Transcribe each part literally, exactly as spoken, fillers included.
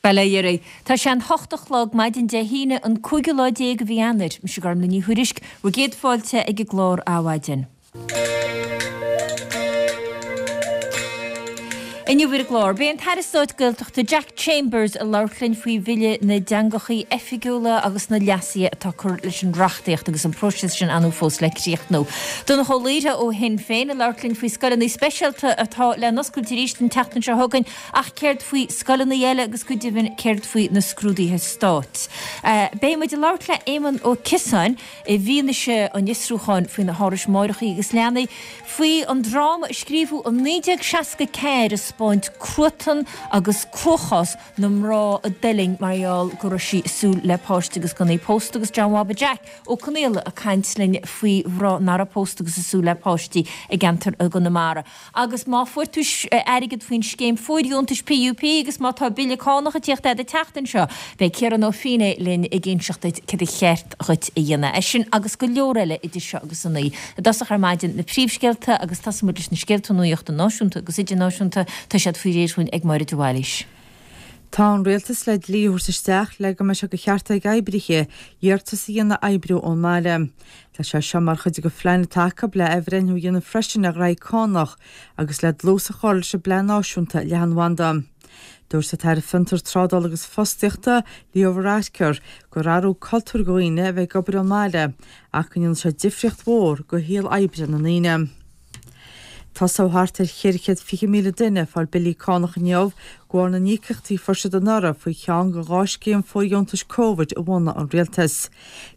Bail ó Dhia oraibh. Tá sé an hocht a chlog maidin Dé hAoine an cúigiú lá déag de mhí Eanáir. Mise Gormlaith Ní Thuairisg, bhur gcéad fáilte ag an gclár Adhmhaidin. Inniu ar an gclár, beidh an tAire Stáit Gaeltachta Jack Chambers ag labhairt linn faoi Bhille na dTeangachaí Oifigiúla agus na leasuithe atá curtha leis an reachtaíocht agus an próiseas sin ann fós le críochnú. Donncha Ó Laoire ó Shinn Féin ag labhairt linn faoi scoileanna speisialta atá le n-oscailt arís an tseachtain seo chugainn ach céard faoi scoileanna eile agus go deimhin céard faoi na scrúduithe stáit. Beidh muid ag labhairt le Éamon Ó Ciosáin i bhfianaise an fhiosrúcháin faoi na hárais máithreacha agus leanaí, faoi an dráma a scríobhadh i naoi déag seasca ceathair ag spáint cruatan agus cruachás na mná a d'fhuiling mar gheall go raibh sí ag súil le páiste agus gan í pósta agus John Bhaba Jack Ó Conaola ag caint linn faoi mhná nach raibh pósta agus ag súil le páistí i gceantar i gConamara. Agus má fuair tú airgead faoin scéim fóirdheontais PUP agus má tá bille cánach ag tíocht agat an tseachtain seo, beidh Ciarán Ó Feinneadha linn ag inseacht duit céard a cheart dhuit a dhéanamh. É sin agus go leor eile idir seo agus a naoi. I dtosach ar maidin, na príomhscéalta agus tosóidh muid leis na scéalta nuachta náisiúnta agus idirnáisiúnta. Tá siad faoi réir dhúinn ag Máire de Bhailís. Tá an Rialtas le dlí a thabhairt isteach le go mbeidh sé de cheart ag oibrithe iarratas a dhéanamh oibriú ón mbaile. Tá sé seo mar chuid de phlean atá acu le athbhreithniú a dhéanamh freisin ar ghraithí cánach agus le dlús a chur leis an bPlean Náisiúnta Leathanbhanda. Dúirt an tAire Fiontar, Trádála agus Fostaíochta, Leo Varadkar, gur athrú cultúir do dhaoine a bheith ag obair ón mbaile ach go ndéanann sé difríocht mhór do shaol oibre na ndaoine. Tosóidh thart ar cheithre chéad fiche míle duine ag fáil billí cánach inniu de bharr na n-íocaíochtaí a fuair siad anuraidh faoi cheann de dhá scéim fóirdheontais Covid a bhunaigh an Rialtas.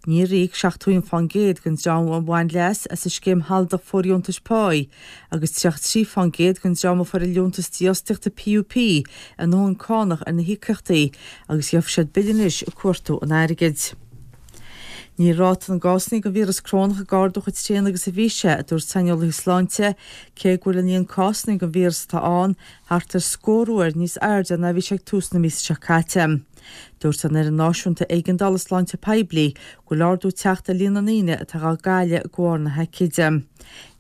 Níor íoc seachtó aon fán gcéad den dream a bhain leas as an scéim shealadach fóirdheontais páí agus tríocha trí fán gcéad den dream a fuair an liúntas dífhostaíochta PUP a ndóthain cánach ar na híocaíochtaí agus gheobhaidh siad bille anois ag cuartú an airgid. Níl ráta na gcásanna den víreas corónach ag ardú chomh tréan agus a bhí sé, a dúirt saineolaithe sláinte, cé go bhfuil an líon cásanna den víreas atá ann thart ar scór uair níos airde ná a bhí sé ag tús na míosa seo caite. Dúirt an Fhoireann Náisiúnta Éigeandála Sláinte Poiblí go bhfuil ardú ag teacht ar líon na ndaoine atá á gcailleadh de bharr na haicíde.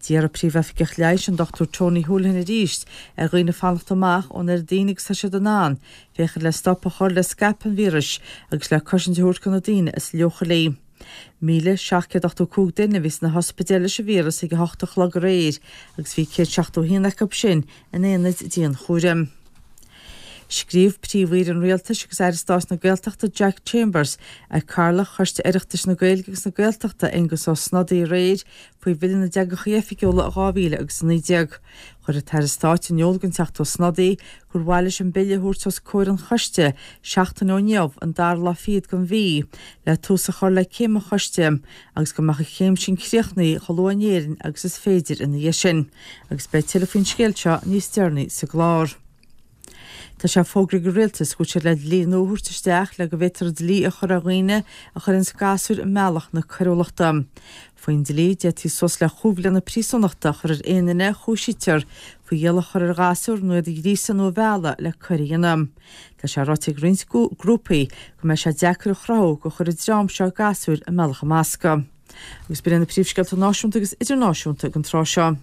D'iarr an Príomhoifigeach Leighis, an Dochtúir Tony Holohan arís ar dhaoine fanacht amach ón oiread daoine agus tá siad in ann, féachaint le stop a chur le scaipeadh an víris agus le cosaint a thabhairt do na daoine is leochailí. Míle seacht gcéad ochtó cúig duine a bhí sna hospidéil leis an víreas ag a hocht a chlog aréir agus bhí céad seachtó a haon acu sin in aonaid dianchúraim. Scríobh Príomh-Aoire an Rialtais agus Aire Stáit na Gaeltachta Jack Chambers ag Cathaoirleach Choiste Oireachtais na Gaeilge agus na Gaeltachta Aengus Ó Snodaigh aréir faoi Bhille na dTeangacha Oifigiúla dhá mhíle agus a naoi déag. Chuir an tAire Stáit in iúl don Teachta Ó Snodaigh gur mhaith leis an bille a thabhairt os comhair an choiste seachtain ó inniu, an dara lá fichead den mhí, le tús a chur le céim an choiste agus go mbeadh an chéim sin críochnaithe chomh luath in Éirinn agus is féidir ina dhiaidh sin. Agus beidh tuilleadh faoin scéal seo níos deireanaí sa gclár. Tá sé fógraithe ag an Rialtas go bhfuil siad le dlí nua a thabhairt isteach le go bhféadfar dlí a chur ar dhaoine a chuireanns gasúir i mbealach na coiriúlachta. Faoin dlí, d'fhéadfaí suas le chúig bhliana príosúnachta a chur ar aon duine a chúisítear faoi iallach a chur ar ghasúr nó iad a ghríosadh nó a mhealladh le coir a dhéanamh. Tá sé ráite ag roinnt grúpaí go mbeidh sé deacair a chruthú gur chuir an dream seo gasúir i mbealach an bhasctha. Agus b'in iad na príomhscéalta náisiúnta agus idirnáisiúnta ag an tráth seo.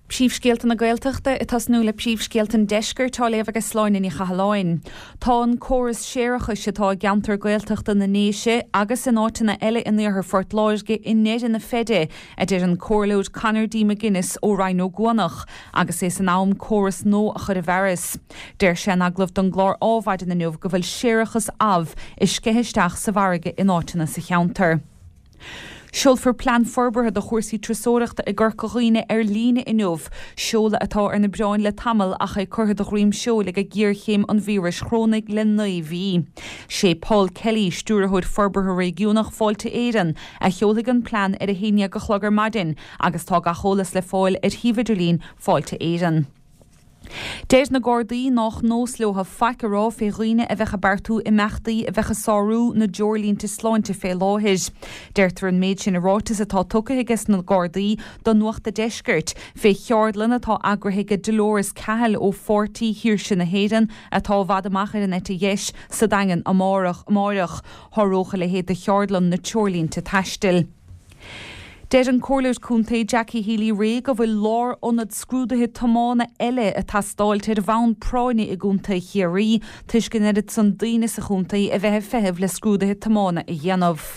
Príomhscéalta na Gaeltachta, ag tosnú le príomhscéalta an Deiscirt, á léamh ag Sláine Ní Chathalláin. Tá an córas séarachais atá i gceantar Gaeltachta na nDéise agus in áiteanna eile in iarthar Phort Láirge i ndeireadh na feide, a deir an Comhairleoir Conor D. McGuinness ó Rinn Ó gCuanach, agus é san am córas nua a chur i bhfearas. Deir sé in agallamh don gclár Ádhmhaidin inniu go bhfuil séarachas amh ag sceitheadh isteach sa bhfarraige in áiteanna sa cheantar. Seolfar plean forbartha do chúrsaí turasóireachta i gCorca Dhuibhne ar líne inniu, seoladh atá ar na bioráin le tamall ach é curtha de dhroim seoil ag géarchéim an víris chorónaigh le naoi mhí. Sé Paul Kelly, Stiúrthóir Forbartha Réigiúnach Fáilte Éireann, a sheolfaidh an plean ar a haon déag a chlog ar maidin agus tá gach eolas le fáil ar shuíomh idirlín Fáilte Éireann. Deir na Gardaí nách nós leo faic a rá fé dhaoine a bheadh ag beartú imeachtaí a bheadh ag sárú na dtreoirlínte sláinte fé láthair. Deirtear an méid sin i ráiteas atá tugtha aige na Gardaí do Nuacht a' Deiscirt fé cheardlann atá eagraithe ag Dolores Cahill ó Pháirtí Shaoirse na hÉireann atá i bhfad amach ar an eite dheis sa Daingean amárach. Sháródh a leithéid de cheardlann na treoirlínte taistil. Deir an Comhairleoir Contae Jackie Healy-Rae go bhfuil lárionad scrúduithe tiomána eile ag teastáilt ar bhonn práinne i gContae Chiarraí toisc an oiread san daoine sa chontae a bheith ag feitheamh le scrúduithe tiomána a dhéanamh.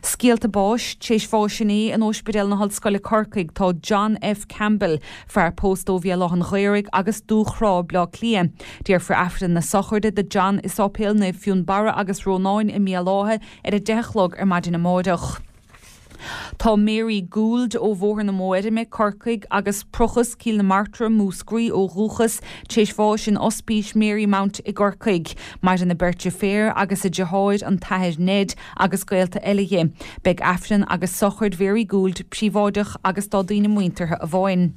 Scéalta báis, Tar éis bháis inné in Ospidéal na hOllscoile Corcaigh tá John F. Campbell, fear pósta ó Bhéal Átha an Ghaorthaidh agus Dúchrá, Bleá Cliath. Déarfar Aifreann na sochraide do John i Sáipéal Naomh Fionnbarra agus Rónáin i mBéal Átha ar a deich a chlog ar maidin amáireach. Tá Mary Gould ó Bhóthar na Mófheirme, Corcaigh, agus Prochas, Cill na Martra, Múscraí ó dhúchas, tar éis bháis in Ospís Marymount i gCorcaigh. Maireann a beirt deirféar agus a deartháir, an tAthair Ned, agus gaolta eile dhi. Beidh Aifreann agus sochraid Mhary Gould príobháideach agus dá daoine muinteartha amháin.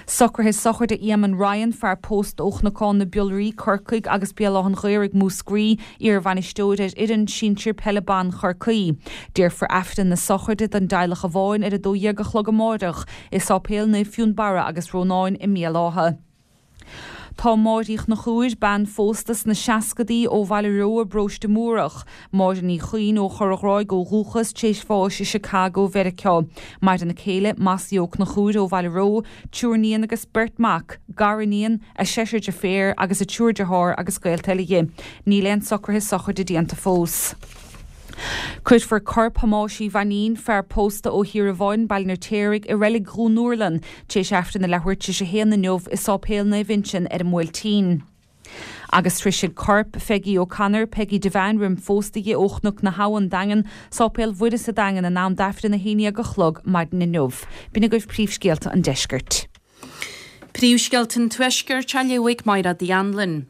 Socruithe sochraide Éamonn Ryan, fear pósta ó Chnocán na Biolraí, Corcaigh, agus Béal Átha an Ghaorthaidh, Múscraí, iarbhainisteoir ar fhoireann sinsir peile ban Chorcaí. Déarfar Aifreann na sochraide don dteaghlach amháin ar a dó dhéag a chlog amáireach i Sáipéal Naomh Fionnbarra agus Rónáin i mBéal Átha. Tá Máire Uí Chonchúir, bean phósta sna seascadaí ó Bhaile Reo i bparóiste Múrach, Máire Ní Chuinn ó Chorr a' Ghráig ó dhúchas, tar éis bháis i Chicago, Mheiriceá. Maireann a céile, Mossie Ó Conchúir ó Bhaile Reo, triúr níon agus beirt mac, gariníon, a seisear deirféar agus a triúr dearthár agus gaolta eile dhi. Níl aon socruithe sochraide déanta fós. Cuirfear corp Thomáis Uí Mhainín, fear pósta ó Thír an Bháin, Baile an Fheirtéaraigh, i reilig Dhún Úrlann, tar éis Aifreann a leathuair tar éis a haon inniu i Sáipéal Naomh Uinseann ar an mBuailtín. Agus sroisfidh corp Pheigí O'Connor, Peggy Devane roim phósadh di ó Chnoc na hAbhann, Daingean, Sáipéal Mhuire sa Daingean in am d'Aifreann a haon déag a chlog maidin inniu. B'in agaibh príomhscéalta an deiscirt. Príomhscéalta an Tuaiscirt á léamh ag Máire Uí Anluain.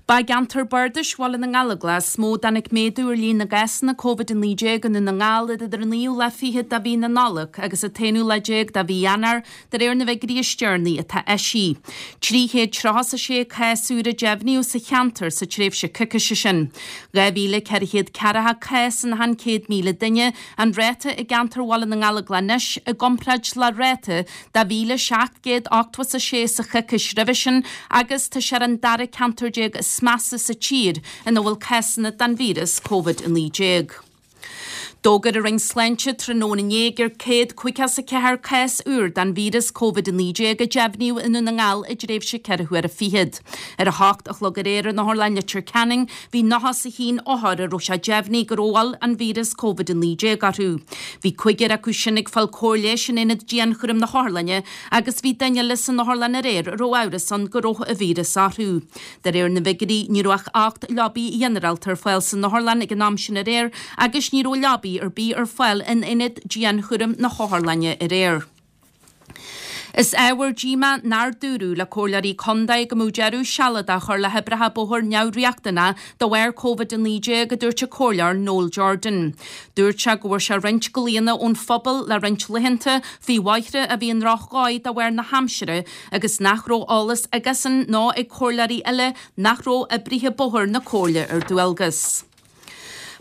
Ba i gceantar bardais Bhaile na nGallóglach is mó a dtáinig méadú ar líon na gcásanna Covid a naoi déag i nDún na nGall idir an naoú lá fichead de mhí na Nollag agus an t-aonú lá déag de mhí Eanáir, de réir na bhfigiúirí is deireanaí atá eisithe. Trí chéad tríocha is a sé cás úr a deimhníodh sa cheantar sa tréimhse coicíse sin. Dhá mhíle ceithre chéad ceathracha cás in achan céad míle duine an ráta i gceantar Bhaile na nGallóglach anois i gcomparáid le ráta de mhíle seacht gcéad ochtó is a sé sa choicís roimhe sin agus tá sé ar an dara ceantar déag is measa sa tír ina bhfuil cásanna den víreas Covid a naoi déag. D'fhógair an Roinn Sláinte tráthnóna inné gur céad caoga is a ceathair cás úr den víreas Covid a naoi déag a deimhníodh i nDún na nGall i dtréimhse ceithre huaire fichead. Ar a hocht a chlog aréir in Otharlann Leitir Ceanainn bhí nócha is a haon othar a raibh sé deimhnithe go raibh an víreas Covid a naoi déag orthu. Bhí cúigear acu sin ag fáil cóir leighis in aonad dianchúraim na hotharlainne agus bhí duine eile san otharlann aréir a raibh amhras ann go raibh an víreas orthu. De réir na bhfigiúirí ní raibh ach ocht leabaí ghinearálta ar fáil san otharlann ag an am sin aréir agus ní raibh leabaí ar bith ar fáil in aonad dianchúraim na hotharlainne aréir. Is ábhar díomá nár dúradh le comhairleoirí contae go mbeadh deireadh sealadach á chur le hoibreacha bóthair neamhriachtanach de bharr Covid a naoi déag, a dúirt an comhairleoir Noel Jordan. Dúirt sé go bhfuair sé roinnt glaonna ón phobal le roinnt laethanta faoi bhóithre a bhí i ndrochdhóigh de bharr na haimsire agus nach raibh eolas aigesean ná ag comhairleoirí eile nach raibh oibrithe bóthair na comhairle ar dualgas.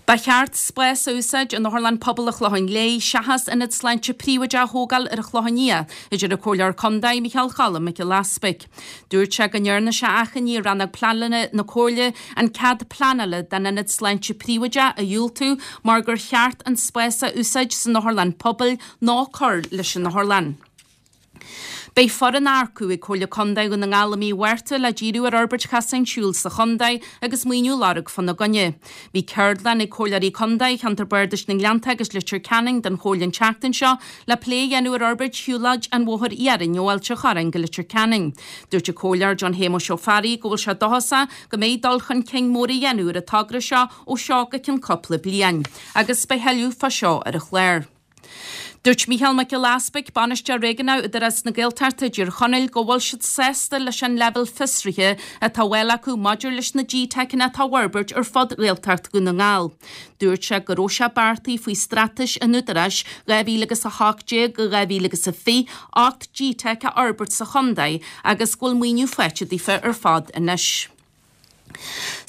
Ba cheart spás a úsáid in Otharlann Pobail an Chlocháin Léith seachas ionad sláinte príobháideach a thógáil ar an Chlochán Liath, a deir an Comhairleoir Contae Micheál Cholm Mac Giolla Easpaig. Dúirt sé go ndearna sé achainí ar rannóg pleanála na Comhairle an cead pleanála don ionad sláinte príobháideach a dhiúltú mar gur cheart an spás a úsáid san Otharlann Pobail ná cur leis an otharlann. Beidh foireann á earcú ag Comhairle Contae Dhún na nGall i mí Mhárta le díriú ar fhorbairt chasáin siúil sa chontae agus maoiniú a lorg fána gcoinne. Bhí ceardlann ag Comhairleoirí Contae Cheantar Bardais na nGleannta agus Leitir Ceanainn den Chomhairle an tseachtain seo le plé a dhéanamh ar fhorbairt shiúlóid an Bhóthair Iarainn ó Ailt an Chorráin go Leitir Ceanainn. Dúirt an Comhairleoir John Shéamuis Ó Fearraigh go bhfuil sé dóchasach go mbeidh dul chun cinn mór á dhéanamh ar an togra seo ó seo go ceann cúpla bliain. Agus beidh tuilleadh fá seo ar an chlár. Dúirt Mícheál Mac Giolla Easpaig, Bainisteoir Réigiúnach Údarás na Gaeltachta i dTír Chonaill, go bhfuil siad sásta leis an leibhéal fiosraithe atá á fháil acu maidir leis na GTeiceanna atá á bhforbairt ar fud Ghaeltacht Dhún na nGall. Dúirt sé go raibh sé beartaithe faoi straitéis an Údaráis dhá mhíle agus a hocht déag go dhá mhíle agus a fiche ocht GTeic a fhorbairt sa chontae agus go bhfuil maoiniú faighte daofa ar fad anois.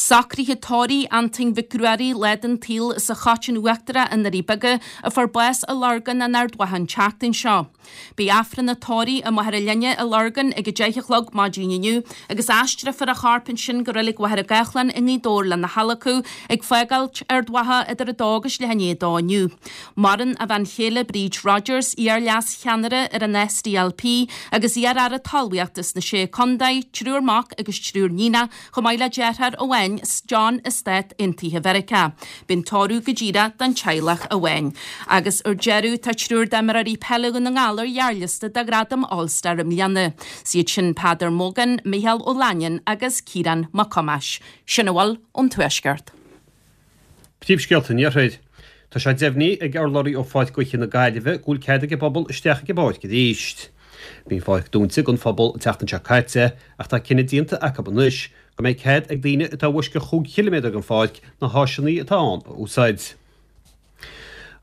Socruithe tórraimh Antain Mhic Ruairí lá den tsaol as an Choitín Uachtarach i nDoirí Beaga a fuair bás i Lurgan in Ard Mhacha an tseachtain seo. Beidh Aifreann an tórraimh i Machaire Linne i Lurgan ag a deich a chlog maidin inniu agus aistreofar a chorp ansin go Reilig Mhachaire Gathlán i nGaoth Dobhair lena hadhlacadh ag fágáilt Ard Mhacha idir a dó agus leath i ndiaidh a dó inniu. Maireann a bhean chéile Bríd Rodgers, iar-leas-cheannaire ar an SDLP agus iar-aire talmhaíochta sna Sé Contae, triúr mac agus triúr níonach, chomh maith le deartháir amháin, John i Stát Aontaithe Mheiriceá. Beidh an tórramh go díreach don teaghlach amháin. Agus ar deireadh, tá triúr d'imreoirí peile Dhún na nGall ar ghearrliosta do Ghradam All Star i mbliana. Is iad sin Peadar Mogan, Micheál Ó Lainnín agus Ciarán Mac Cumais. Sin a bhfuil ón Tuaisceart. Príomhscéalta an Iarthair. Tá sé deimhnithe ag urlabhraí ó Pháirc Gaoithe na Gaillimhe go bhfuil cead ag an bpobal isteach ag an bpáirc arís. Bhí an pháirc dúnta don phobal an tseachtain seo caite ach tá cinneadh déanta acu anois go mbeidh cead ag daoine atá i bhfoisceacht chúig chiliméadar den pháirc na háiseanna atá ann a úsáid.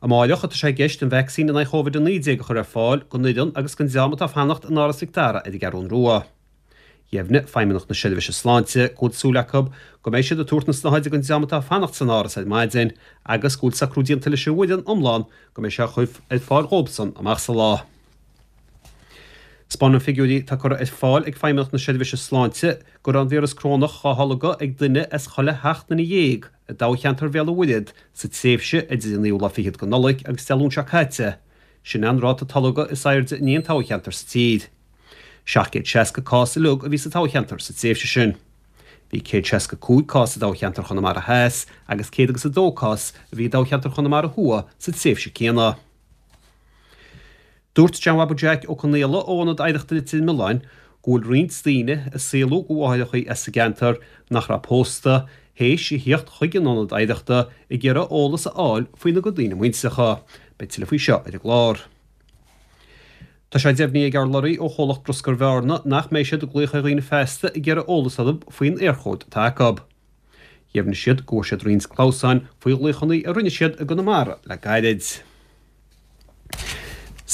Amáireach atá sé i gceist an vacsaín in aghaidh Covid a naoi déag a chur ar fáil don fhoireann agus don dream atá ag fanacht in Áras Mhic Dara ar an gCeathrún Rua. Dheimhnigh Feidhmeannacht na Seirbhíse Sláinte go bhfuil súil acu go mbeidh siad ag tabhairt na snáthaide don dream atá ag fanacht san áras ar maidin agus go bhfuil socrú déanta leis an bhfoireann iomlán go mbeidh sé á chur ar fáil dhóibhsan amach sa lá. Spáineann figiúirí atá curtha ar fáil ag Feidhmeannacht na Seirbhíse Sláinte go raibh an víreas corónach á tholgadh ag duine as chuile sheacht nduine dhéag i dtoghcheantar Bhéal an Mhuirthead sa tréimhse idir an naoú lá fichead de Nollaig agus Dé Luain seo caite. Sin é an ráta tolgtha is airde in aon toghcheantar sa tír. seacht gcéad seasca cás uilig a bhí sa toghcheantar sa tréimhse sin. Bhí céad seasca cúig cás i dtoghcheantar Chonamara Theas agus céad agus a dó cás a bhí i dtoghcheantar Chonamara Thuaidh sa tréimhse céanna. Dúirt John Bhabaí Jack Ó Conaola ó Ionad Oidhreachta Leitir Mealláin go bhfuil roinnt daoine a saolaíodh do mháithreacha as an gceantar nach raibh pósta, théis a theacht chuig an Ionad Oidhreachta ag iarraidh eolas a fháil faoina gcuid daoine muintreacha. Beidh tuilleadh faoi seo ar an gclár. Tá sé deimhnithe ag urlabhraí ó chomhlacht Bruscair Bhearna nach mbeidh siad ag glaoch ar dhaoine feasta ag iarraidh eolas orthu faoin Éirchód atá acu. Dheimhnigh siad go bhfuair siad roinnt clamhsáin faoi ghlaochanna a rinne siad i gConamara le gairid.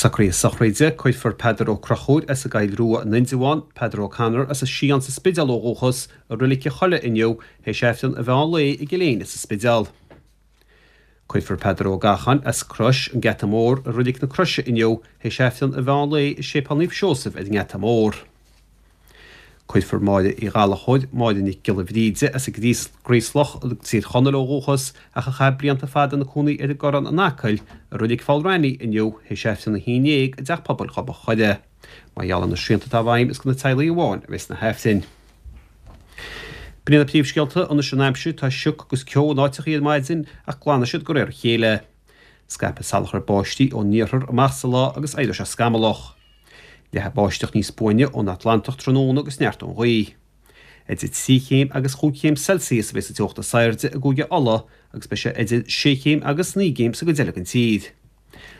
Socruithe sochraide, Cuirfear Peadar Ó Conchúir as an gCoill Rua in Indreabhán, Peadar O'Connor as an Sián sa Spidéal ó dhúchas, i Reilig an Chollaigh inniu, théis Aifreann an mheán lae i gCill Éinne sa Spidéal. Cuirfear Peadar Ó Gacháin as Crois, an Geata Mór, i Reilig na Croise inniu, théis Aifreann an mheán lae i Séipéal Naomh Seosamh ar an nGeata Mór. Cuirfear Máire Uí Ghallchóir, Máire Nic Giolla Bhríde, as an nGraoslach i dTír Chonaill ó dhúchas, ach a chaith blianta fada ina cónaí ar an gCorrán in Acaill, i Reilig Pholl Raithní inniu, théis Aifreann a haon déag i dTeach Pobail Ghob an Choire. Mar gheall ar na srianta atá i bhfeidhm, is do na teaghlaigh amháin a bheas na hAifrinn. B'in iad na príomhscéalta, anois an aimsir, tá sioc agus ceo in áiteachaí ar maidin ach glanfaidh siad de réir a chéile. Scaipfidh salachar báistí ón iarthar amach sa lá agus éireoidh sé scamallach. Leathfaidh báisteach níos buaine ón Atlantach tráthnóna agus neartóidh an ghaoth. Idir trí chéim agus chúig chéim Celsius a bheidh sa teocht is airde i gCúige Uladh agus beidh sé idir sé chéim agus naoi gcéim sa gcuid eile den tír.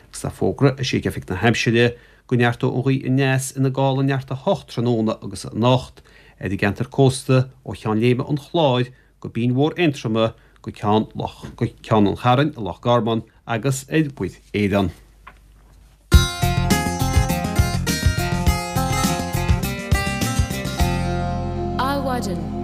Agus tá fógra eisithe ag Oifig na hAimsire go neartóidh an ghaoth aneas ina gála neart a hocht tráthnóna agus anocht ar an gceantar cósta ó Cheann Léime an Chláir go Binn Mhór Aontroma go Ceann go Ceann an Chairn i Loch Garman agus ar Mhuir Éireann. Adhmhaidin.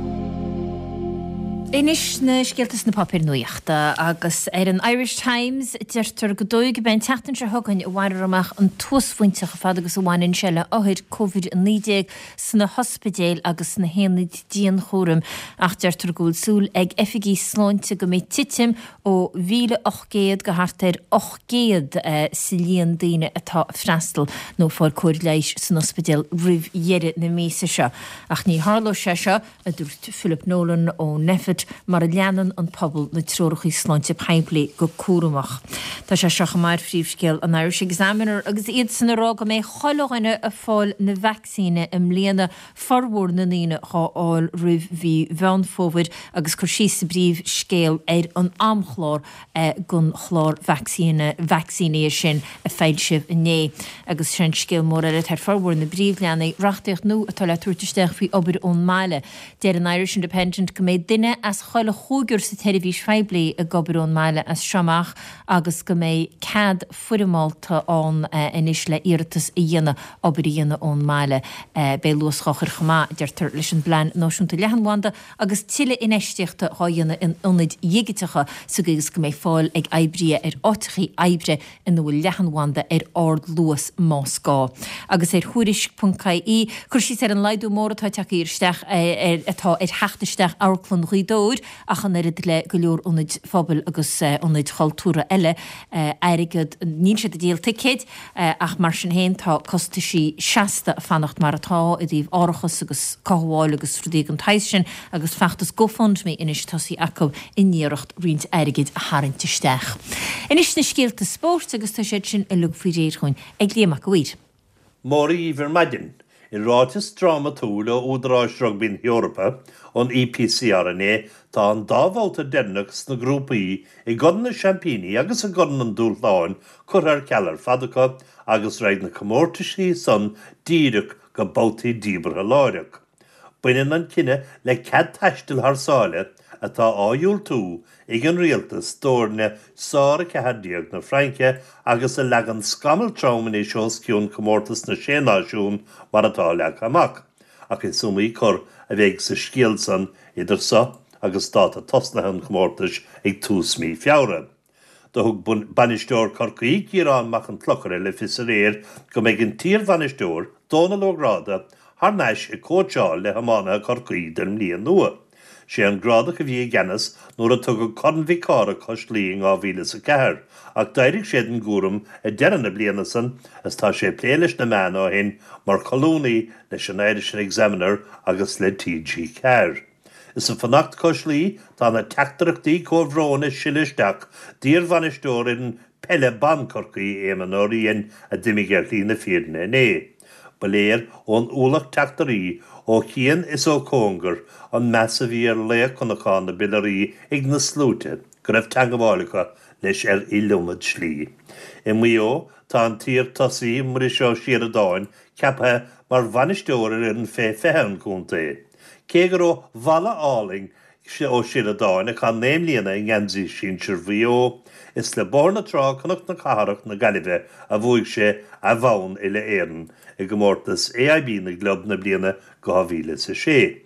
Anois na scéalta sna páipéir nuachta agus ar an Irish Times deirtear go dóigh go mbeidh an tseachtain seo chugainn a bhainfear amach an t-uasphointe chomh fada agus a bhaineann sé le othair Covid a naoi déag sna hospidéil agus sna haonaid dianchúraim ach deirtear go bhfuil súil ag oifigigh sláinte go mbeidh titim ó mhíle ocht gcéad go thart ar ocht gcéad sa líon daoine atá ag freastal nó ag fáil cóir leighis san ospidéal roimh dheireadh na míosa seo. Ach ní tharlóidh sé seo, a dúirt Philip Nolan ó Nphet, mura leanann an pobal na treoracha sláinte poiblí go cúramach. Tá sé seo chomh maith ar phríomhscéal an Irish Examiner agus iadsan ag rá go mbeidh chuile dhuine ag fáil na vacsaíne i mbliana, formhór na ndaoine dhá fháil roimh mhí Mheán Fómhair agus cur síos sa bpríomhscéal ar an amchlár don chlár vacsaínithe sin a foilsíodh inné. Agus sin scéal mór eile atá ar formhór na bpríomhleathanaigh, reachtaíocht nua atá le tabhairt isteach faoi obair ón mbaile. Deir an Irish Independent go mbeidh duine as chuile chúigear sa tseirbhís phoiblí ag obair ón mbaile as seo amach agus go mbeidh cead foirmeálta ann anois le iarratas a dhéanamh obair a dhéanamh ón mbaile. Beidh luas dhá chur chomh maith, a deirtear, leis an bPlean Náisiúnta Leathanbhanda agus tuilleadh infheistíochta dhá dhéanamh in ionaid dhigiteacha sa gcaoi is go mbeidh fáil ag oibrithe ar áiteachaí oibre ina bhfuil leathanbhanda ar ardluas más gá. Agus ar Thuairisc ponc ie, cur síos ar an laghdú mór atá tagtha isteach ar atá ar theacht isteach Amharclann Ghaoth Dobhair ach an oiread le go leor ionaid phobail agus ionaid chultúrtha eile airgead níl siad ag díol ticéid ach mar sin féin tá costaisí seasta ag fanacht mar atá i dtaobh árachas agus cothabháil agus rudaí den tsaghas sin agus feachtas GoFundMe anois tosaithe acu in iarracht roinnt airgid a tharraingt isteach. Anois na scéalta spóirt agus tá siad sin uilig faoi réir chugainn ag Liam Mac a' Mhaoir. Mora dhíbh ar maidin. I ráiteas drámatúil ó Údaráis Rugbaí na hEorpa, an EPCR inné, tá an dá bhabhta deireanach sna grúpaí i gCorn na Seaimpíní agus i gCorn an Dúshláin curtha ar ceal ar fad acu agus raghaidh na comórtaisí san díreach go babhtaí díbeartha láithreach. Baineann an cinneadh le cead taistil thar sáile atá á dhiúltú ag an rialtas d'fhoirne sár a ceathair déag na Fraince agus a leagann scamall trom anois os cionn Chomórtas na Sé Náisiún mar atá leagtha amach. Ach is iomaí cor a bheidh sa scéal san idir so agus dáta tosnaithe an chomórtais ag tús mí Feabhra. Do thug bainisteoir Chorcaí, Ciarán Mac an Chlochair le fios aréir go mbeidh an t-iarbhainisteoir, Dónal Ó Gráda, thar n-ais ag cóitseáil le hiománaithe Chorcaí don mbliain nua. Sé an Grádach a bhí i gceannas nuair a tugadh Corn Mhic Cárthaigh cois Laoi in dhá mhíle is a ceathair ach d'éirigh sé den gcúram ag deireadh na bliana san is tá sé ag plé leis na meáin ó shin mar cholúnaí leis an Irish Examiner agus le T G ceathair. Is ag fanacht cois Laoi tá na teachtaireachtaí comhbhróin ag sileadh isteach d'iarbhainisteoir fhoireann peile ban Chorcaí, Éamonn Ó Riain, a d'imigh ar shlí na fírinne inné. Ba léir ón ualach teachtairí ó chian is ó chóngar an meas a bhí ar laoch Chnocán na bPiolaraí ag na sluaite go raibh teangabháil acu leis ar iliomad slí. I Maigh Eo tá an t-iar-tosaí Muiris Ó Síoradáin ceaptha mar bhainisteoir ar fhoireann fé fiche an chontae. Cé gur ó Mhala Álainn Ó Síoradáin, a chaith naoi mbliana i ngeansaí sinsir Mhaigh Eo, is le Bóthar na Trá, Cnoc na Cathrach na Gaillimhe a bhuaigh sé a bhonn uile-Éireann i gcomórtas A I B na gClub na bliana dhá mhíle is a sé.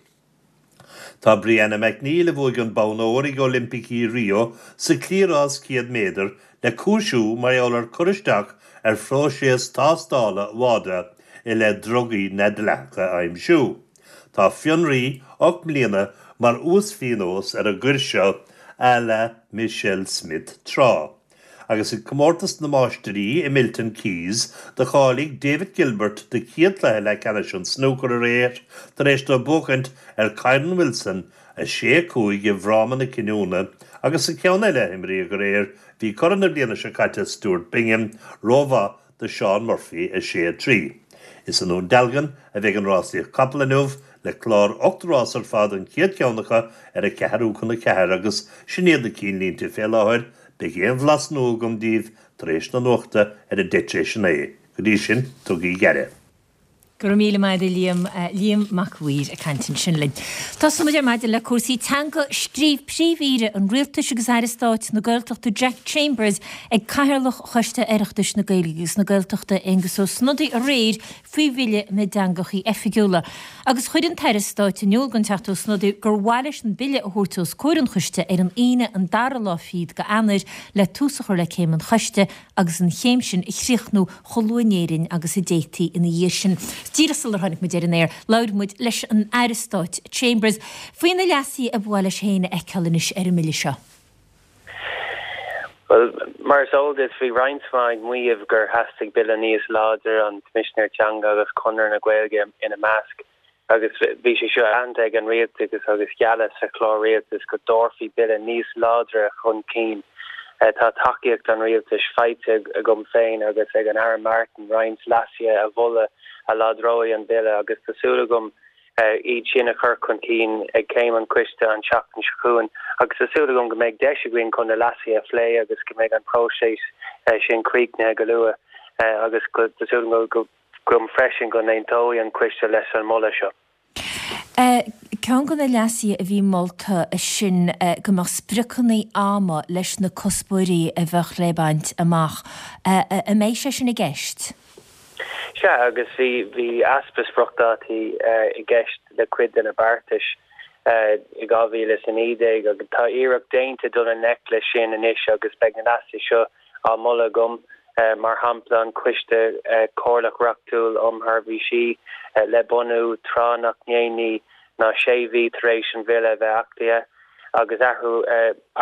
Tá Brianna McNeal, a bhuaigh an bonn óir ag Oilimpicí Rio sa chliathrás céad méadar, le cúisiú mar gheall ar cur isteach ar phróiseas tástála WADA i leith drugaí neamhdhleathacha a aimsiú. Tá fionraí ocht mbliana mar uasphionós ar an gcoir seo à la Michelle Smith tráth. Agus ag Comórtas na Máistirí i Milton Keyes do cháiligh David Gilbert do chéad chluiche leathcheannais an snúcair aréir tar éis dó buachaint ar Kyren Wilson a sé, a cúig i bhfráma na cinniúna agus sa cheann eile a imríodh aréir bhí curaidh na bliana seo caite Stuart Bingham rómhaith do Shaun Murphy a sé, a trí. Is i nDún Dealgan a bheidh an rásaíocht capall inniu, le clár ocht rás ar fad, an chéad cheann acu ar a ceathrú chun a ceathair agus sin iad na cinnlínte fé láthair. Beidh aon bhlas nua agam daoibh tar éis na nuachta ar a deich tar éis a naoi. Go dtí sin, tugaigí aire. Go raibh míle maith agat a Liam, Liam Mac a' Mhaoir ag caint ansin linn. Tosóidh muid ar maidin le cúrsaí teanga. Scríobh Príomh-Aoire an Rialtais agus Aire Stáit na Gaeltachta Jack Chambers ag Cathaoirleach Choiste Oireachtais na Gaeilge agus na Gaeltachta Aengus Ó Snodaigh aréir faoi Bhille na dTeangachaí Oifigiúla agus chuir an tAire Stáit in iúl don Teachta Ó Snodaigh gur mhaith leis an Bille a thabhairt os comhair an Choiste ar an Aoine an dara lá fichead de Eanáir le tús a chur le céim an Choiste agus an chéim sin a chríochnú chomh luath in Éirinn agus a d'fhéadfaí ina dhiaidh sin. Díreach sular tháinig muid ar an aer, labhair muid leis an Aire Stáit Chambers faoi na leasuithe a ba mhaith leis féin a fheiceáil anois ar an mBille seo. Bhuel, mar is eol duit, bhí roinnt mhaith ag maíomh gur theastaigh bille níos láidre, an Coimisinéir Teanga agus Conradh na Gaeilge ina measc. Agus bhí sé seo aitheanta ag an rialtas agus gealladh sa chlár rialtais go dtabharfaí bille níos láidre chun cinn. Tá tacaíocht an rialtais faighte agam féin agus ag an Aire Martin roinnt leasuithe a mholadh a láidreoidh an bille agus tá súil agam iad sin a chur chun cinn ag céim an choiste an tseachtain seo chugainn agus tá súil agam go mbeidh deis againn chun na leasuithe a phlé agus go mbeidh an próiseas sin críochnaithe go luath agus tá súil agam go agam freisin go n-aontóidh an coiste leis an moladh seo. Ceann de na leasuithe a bhí molta sin go mbeadh spriocanna ama leis na cuspóirí a bheadh le baint amach. An mbeidh sé sin i gceist? Sea, agus bhí bhí easpa spriocdhátaí i gceist le cuid de na beartais i dhá mhíle is a naoi déag agus tá iarracht déanta dul i ngleic leis sin anois agus beidh na leasuithe seo á moladh agam, mar shampla an Coiste Comhairleach Reachtúil um Sheirbhísí le bunú tráth nach ndéanaí ná sé mhí tar éis an Bhille a bheith achtaithe agus athrú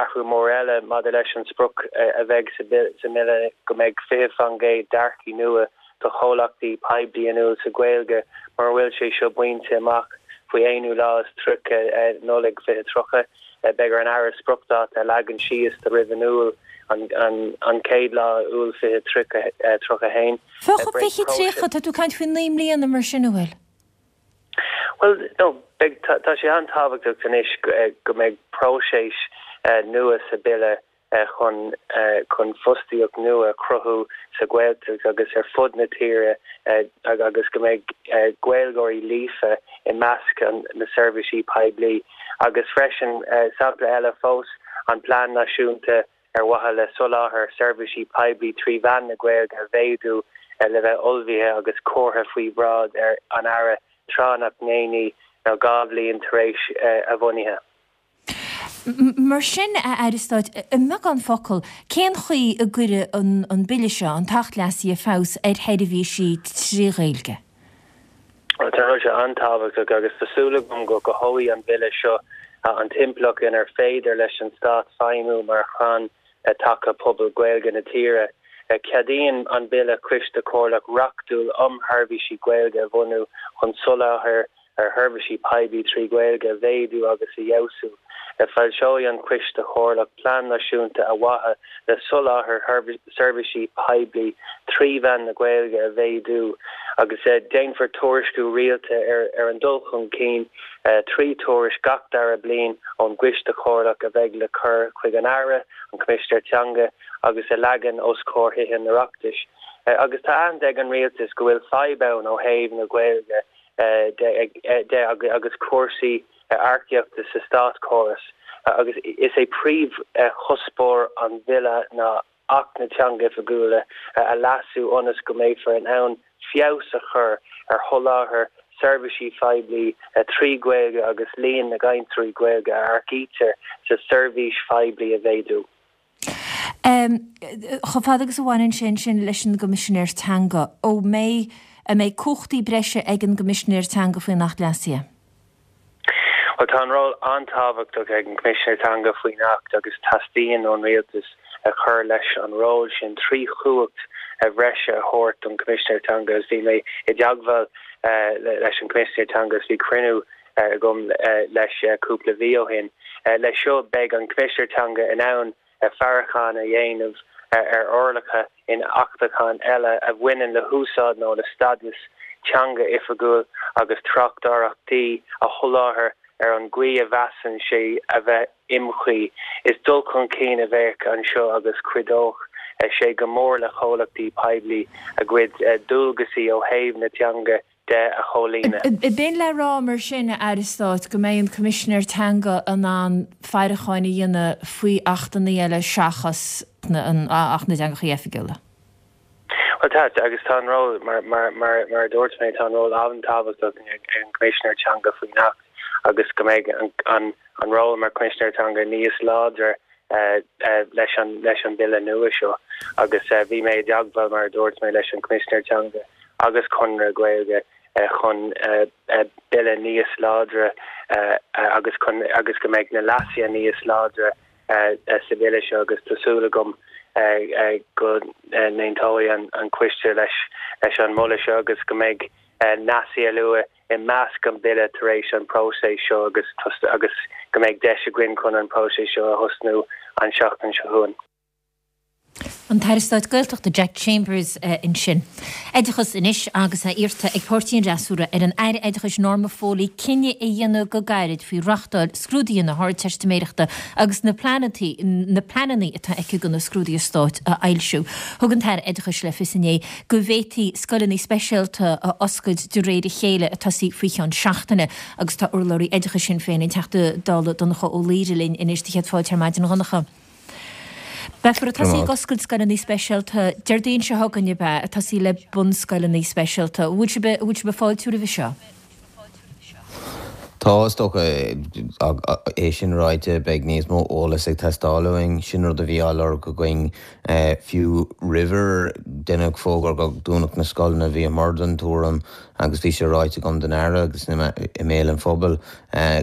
athrú mór eile maidir leis an sprioc a bheidh sa mBille go mbeidh fiche faoin gcéad d'earcaigh nua do chomhlachtaí poiblí inniúil sa Ghaeilge mura bhfuil sé seo bainte amach faoi aonú lá is tríocha Nollaig fiche tríocha. Beidh ar an Aire spriocdháta a leagan síos do roimh in Iúil an chéad lá Iúil fiche tríocha a haon. Fiche tríocha, tá tú ag caint faoi naoi mbliana mar sin, an bhfuil? Bhuel, no, beidh, tá sé an-tábhachtach anois go mbeidh próiseas nua sa Bille chun chun fostaíocht nua a chruthú sa Ghaeltacht agus ar fud na tíre agus go mbeidh Gaeilgeoirí líofa i measc na seirbhísí poiblí. Agus freisin, sampla eile fós, an Plean Náisiúnta ar mhaithe le soláthar seirbhísí poiblí trí mheán na Gaeilge a mhéadú le bheith ullmhaithe agus curtha faoi bhráid an Aire tráth nach ndéanaí ná dhá bhliain tar éis a bhunaithe. Mar sin, a Aire Stáit, i mbeagán focal, cén chaoi a gcuirfidh an Bille seo, an tAcht Leasaithe, feabhas ar sheirbhísí trí Ghaeilge? Tá an rud seo an-tábhachtach agus tá súil agam go gcothóidh an Bille seo an timpeallacht inar féidir leis an Stát feidhmiú mar chrann taca pobal Gaeilge na tíre. Ceadaíonn an Bille Coiste Comhairleach reachtúil um Sheirbhísí Gaeilge a bhunú chun soláthar ar sheirbhísí poiblí trí Ghaeilge a mhéadú agus a fheabhsú. Foilseoidh an Coiste Comhairleach plean náisiúnta ar mhaithe le soláthar seirbhísí poiblí trí mheán na Gaeilge a mhéadú agus déanfar tuairisciú rialta ar an dul chun cinn trí thuairisc gach dara bliain ón gCoiste Comhairleach a bheidh le cur chuig an Aire, an Coimisinéir Teanga agus a leagan os comhair Thithe an Oireachtais. Agus tá aitheanta ag an Rialtas go bhfuil fadhb ann ó thaobh na Gaeilge de agus cúrsaí earcaíochta sa státchóras agus is é príomhchuspóir an Bhille ná Acht na dTeangacha Oifigiúla a leasú ionas go mbeifear in ann feabhas a chur ar sholáthar seirbhísí poiblí trí Ghaeilge agus líon na gcainteoirí Gaeilge a earcaítear sa tseirbhís phoiblí a mhéadú. Chomh fada agus a bhaineann sé ansin leis an gCoimisinéir Teanga, ó mbeidh, an mbeidh cumhachtaí breise ag an gCoimisinéir Teanga faoin Acht Leasaithe? Bhuel, tá an ról an-tábhachtach ag an gCoimisinéir Teanga faoin Acht agus teastaíonn ón Rialtas a chur leis an ról sin trí chumhacht bhreise a thabhairt don Choimisinéir Teanga agus bhí mé i dteagmháil leis an gCoimisinéir Teanga agus bhí cruinniú agam leis cúpla mhí ó shin. Leis seo beidh an Coimisinéir Teanga in ann faireachán a dhéanamh ar fhorálacha in achtacháin eile a bhaineann le húsáid nó le stádas teanga oifigiúil agus tráchtaireachtaí a sholáthar ar an gcaoi a mheasann sé a bheith iomchuí. Is dul chun cinn a bheadh anseo agus cuideoidh sé go mór le comhlachtaí poiblí a gcuid dualgaisí ó thaobh na teanga de a chomhlíonadh. B'in le rá mar sin, a Aire Stáit, go mbeidh an Coimisinéir Teanga in ann faireachán a dhéanamh faoi achtanna eile seachas Acht na dTeangacha Oifigiúla? Bhuel tá, agus tá an ról, mar mar a dúirt mé, tá an ról an-tábhachtach ag an gCoimisinéir Teanga faoin Acht agus go mbeidh an an ról mar Choimisinéir Teanga níos láidre leis an leis an Bille nua seo agus bhí mé i dteagmháil, mar a dúirt mé, leis an Choimisinéir Teanga agus Conradh Gaeilge chun Bille níos láidre agus chun agus go mbeidh na leasuithe níos láidre sa Bhille seo agus tá súil agam go n-aontóidh an Coiste leis leis an moladh seo agus go mbeidh leasuithe a luadh i measc an Bille tar éis an próiseas seo agus agus go mbeidh deis againn chun an próiseas seo a thosnú an seachtain seo chugainn. An tAire Stáit Gaeltachta Jack Chambers ansin. Oideachas anois agus é iarrta ag páirtí an fhreasúra ar an Aire Oideachais Norma Foley cinneadh a dhéanamh go gairid faoi reáchtáil scrúduithe na hArdteistiméireachta agus na na pleananna atá aici do na scrúduithe stáit a fhoilsiú. Thug an tAire Oideachais le fios inné go bhféadfaí scoileanna speisialta a oscailt de réir a chéile ag tosaí faoi cheann seachtaine agus tá urlabhraí oideachais Shinn Féin an Teachta Dála Donncha Ó Laoghaire linn anois do chéad fáilte ar maidin a Dhonncha. Beifear ag tosaí ag oscailt scoileanna speisialta Déardaoin seo chugainn ab ea, ag tosaí le bunscoileanna speisialta. An bhfuil sibh, an bhfuil sibh ag fáiltiú roimhe seo? Tá, is dócha, é sin ráite, beidh níos mó eolais ag teastáil uainn. Sin rud a bhí á lorg againn fiú roimh ar deineadh fógra go dúnfadh na scoileanna. Bhíomar den tuairim agus bhí sé ráite agam don Aire agus i mbéal an phobail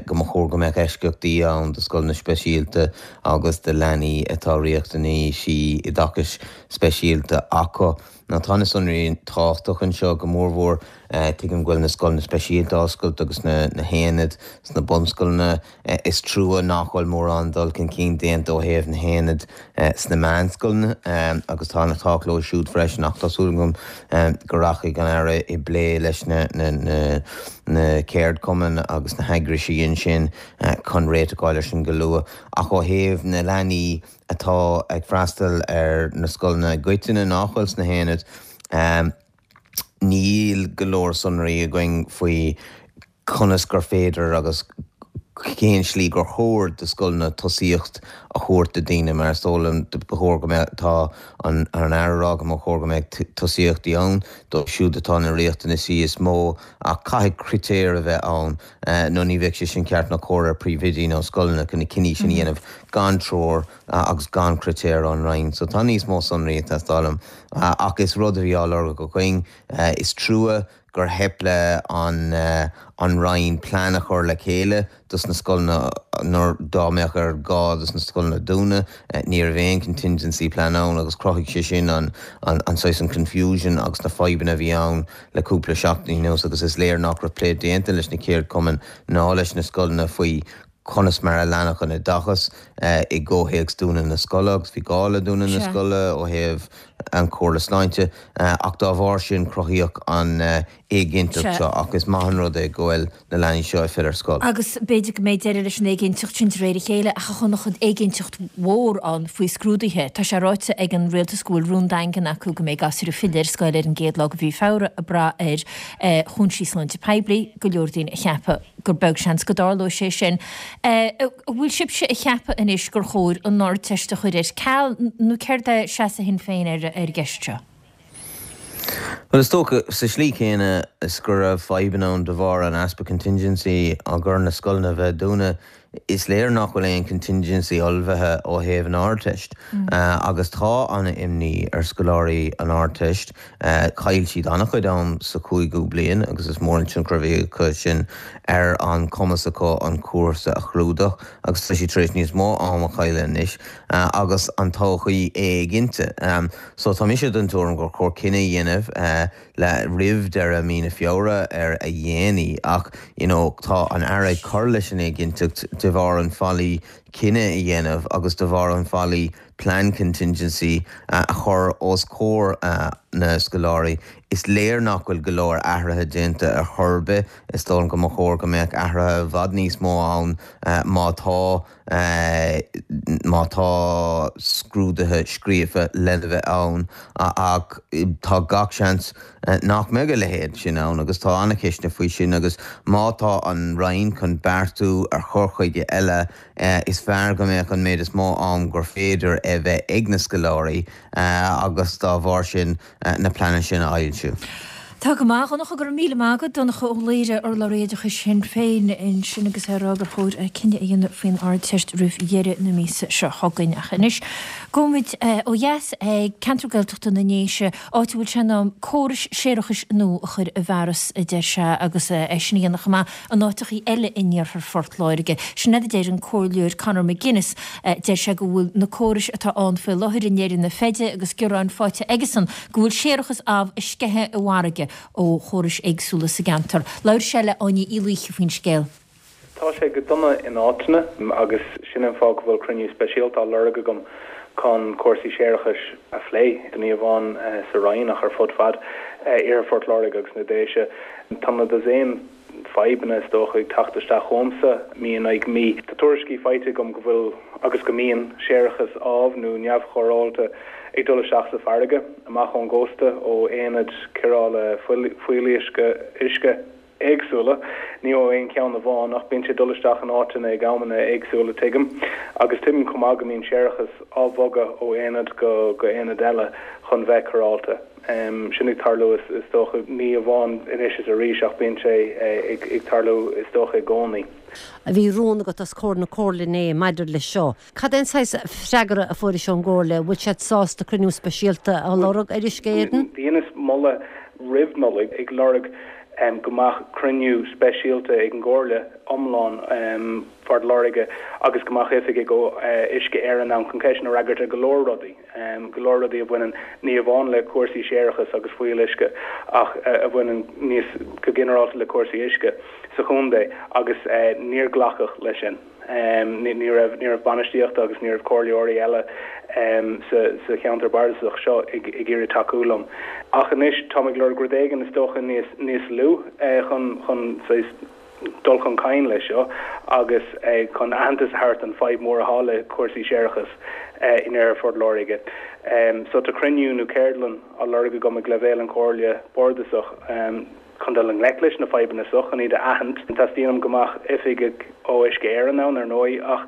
go mba chóir go mbeadh eisceachtaí ann do scoileanna speisialta agus do leanaí atá riachtanaisí oideachais speisialta acu. Now tá na sonraí tábhachtach anseo go mórmhór. Tuigim go bhfuil na scoileanna speisialta á oscailt agus na haonaid sna bunscoileanna. Is trua nach bhfuil mórán dul chun cinn déanta ó thaobh na haonaid sna meánscoileanna agus tá an-tábhacht leo siúd freisin ach tá súil agam go rachaidh an Aire i bplé leis na na ceardchumainn agus na heagraisí ansin chun réiteach a fháil air sin go luath. Ach ó thaobh na leanaí atá ag freastal ar na scoileanna i gcoitinne nach bhfuil sna haonaid, níl go leor sonraí againn faoi conas gur féidir agus cén slí gur chóir do scoileanna tosaíocht a thabhairt do daoine mar is dóigh liom ba chóir go mbeadh, tá an Aire ag rá go mba chóir go mbeadh tosaíochtaí ann dóibh siúd atá na riachtanaisí is mó ach caithfidh critéir a bheith ann nó ní bheadh sé sin ceart ná cóir ar phríomhoidí nó scoileanna chun na cinní sin a dhéanamh gan treoir agus gan critéir ón Roinn. So tá níos mó sonraí ag teastáil uaim ach is rud a bhí á lorg againn. Is trua gur theip le an an Roinn plean a chur le chéile dos na scoileanna nuair dá mbeadh ar gá dos na scoileanna dúnadh. Ní raibh aon contingency plan ann agus chruthaigh sé sin an an an saghas an confusion agus na fadhbanna a bhí ann le cúpla seachtain anuas agus is léir nach raibh plé déanta leis na ceardchumainn ná leis na scoileanna faoi conas mar a leanfadh an oideachas i gcomhthéacs dúnadh na scoile agus bhí gá le dúnadh na scoile ó thaobh an Chomhairle Sláinte ach dá bharr sin cruthaíodh an éiginnteacht seo ach is maith an rud é go bhfuil na leanaí seo ag filleadh ar scoil. Agus b'fhéidir go mbeidh deireadh leis an éiginnteacht sin de réir a chéile ach a Dhonncha éiginnteacht mhór ann faoi scrúduithe. Tá sé ráite ag an rialtas go bhfuil rún daingean acu go mbeidh gasúir ag filleadh ar scoil ar an gcéad lá de mhí Feabhra ag brath ar chúinsí sláinte poiblí, go leor daoine ag ceapadh gur beag seans go dtarlóidh sé sin. An bhfuil sibhse ag ceapadh anois gur chóir an Ardteist a chur ar ceal nó céard é seasamh Shinn Féin ar an gceist seo? Bhuel, is dócha, sa slí chéanna is go raibh fadhbanna ann de bharr an easpa contingency á gcur na scoileanna a bheith dúnadh, is léir nach bhfuil aon contingency ullmhaithe ó thaobh an Ardteist agus tá an-imní ar scoláirí an Ardteist. Chaill siad an-chuid am sa chúigiú bliain agus is mór an tionchar a bhí acu sin ar an cumas acu an cúrsa a chlúdach agus tá siad tar éis níos mó am a chailleadh anois agus an todhchaí éiginnte. So tá mise den tuairim gur chóir cinneadh a dhéanamh le roimh deireadh mí na Feabhra ar a dhéanaí ach you know tá an Aire ag cur leis an éiginnteacht de bharr an faillí cinneadh a dhéanamh agus de bharr an faillí plean contingency a chur os comhair na scoláirí. Is léir nach bhfuil go leor athruithe déanta ar chor ar bith. Is dóigh liom go mba chóir go mbeadh athruithe i bhfad níos mó ann má tá má tá scrúduithe scríofa lena bheith ann ach tá gach seans nach mbeidh a leithéid sin ann agus tá an-cheisteanna faoi sin agus má tá an Roinn chun beartú ar chur chuige eile is fearr go mbeadh an méid is mó am gur féidir a bheith ag na scoláirí agus dá bharr sin na pleananna sin a fhoilsiú. Tá go maith, a Dhonncha, go raibh míle maith agat. Donncha Ó Laoghaire, urlabhraí oideachais Shinn Féin ansin agus é ag rá gur chóir cinneadh a dhéanamh faoin Ardteist roimh dheireadh na míosa seo chugainn. Ach anois, gabhfaimid ó dheas ag ceantar Gaeltachta na nDéise, áit a bhfuil sé in am córais séarachais nua a chur i bhfearas, a deir sé, agus é sin a dhéanamh chomh maith in áiteachaí eile in iarthar Phort Láirge. Sin é a deir an Comhairleoir Conor McGuinness. Deir sé go bhfuil na córais atá ann faoi láthair i ndeireadh na feide agus gearáin faighte aigesan go bhfuil séarachas amh ag sceitheadh i bhfarraige ó chórais éagsúla sa gceantar. Labhair sé le Áine Uí Laoithe faoin scéal. Tá sé go dona in áiteanna agus sin an fáth go bhfuil cruinniú speisialta á lorg agam chun cúrsaí séarachais a phlé, ní amháin sa Rinn ach ar fud fad iarthar Phort Láirge agus na Déise. Tá na dosaen fadhbanna is dócha ag teacht isteach chugamsa mí in aghaidh mí. Tá tuairiscí faighte agam go bhfuil agus go mbíonn séarachas amh nó neamhchóireáilte ag dul isteach sa bhfarraige amach ón gcósta ó aonaid cóireála fuíolluisce uisce. éagsúla, ní ó aon cheann amháin, ach bíonn sé ag dul isteach in áiteanna ag amanna éagsúla, tuigim. Agus tuigim chomh maith go mbíonn séarachas á bhogadh ó aonad go go aonad eile chun bheith cóireáilte. Sin ag tarlú is dócha, ní amháin anois is arís ach bíonn sé ag tarlú is dócha i gcónaí. Bhí rún agat os comhair na Comhairle inné maidir leis seo. Cad é an saghas freagra a fuairis ón gComhairle? Bhfuil siad sásta cruinniú speisialta a lorg ar Uisce Éireann? Dheineas moladh roimh Nollaig ag lorg go mbeadh cruinniú speisialta ag an gComhairle iomlán Phort Láirge agus go mbeadh oifigigh ó Uisce Éireann ann chun ceisteanna a fhreagairt ar go leor rudaí, go leor rudaí a bhaineann ní amháin le cúrsaí séarachais agus fuíolluisce ach a bhaineann níos go ginearálta le cúrsaí uisce sa chontae agus níor glacadh leis sin. Ní raibh ní raibh bainistíocht agus ní raibh comhairleoirí eile sa sa cheantar bardasach seo ag ag iarraidh tacú liom. Ach anois táim ag lorg rud éigin is dócha níos níos lú chun chun saghas dul chun cinn leis seo agus chun aitheantas a thabhairt don fadhb mhór atá le cúrsaí séarachais in iarthar Phort Láirge. So tá cruinniú nó ceardlann á lorg agam ag leibhéal an Chomhairle Bardasach. Chun dul i ngleic leis na fadhbanna seo, chun iad a aithint, teastaíonn uaim go mbeadh oifigigh ó Uisce Éireann ann, ar ndóigh, ach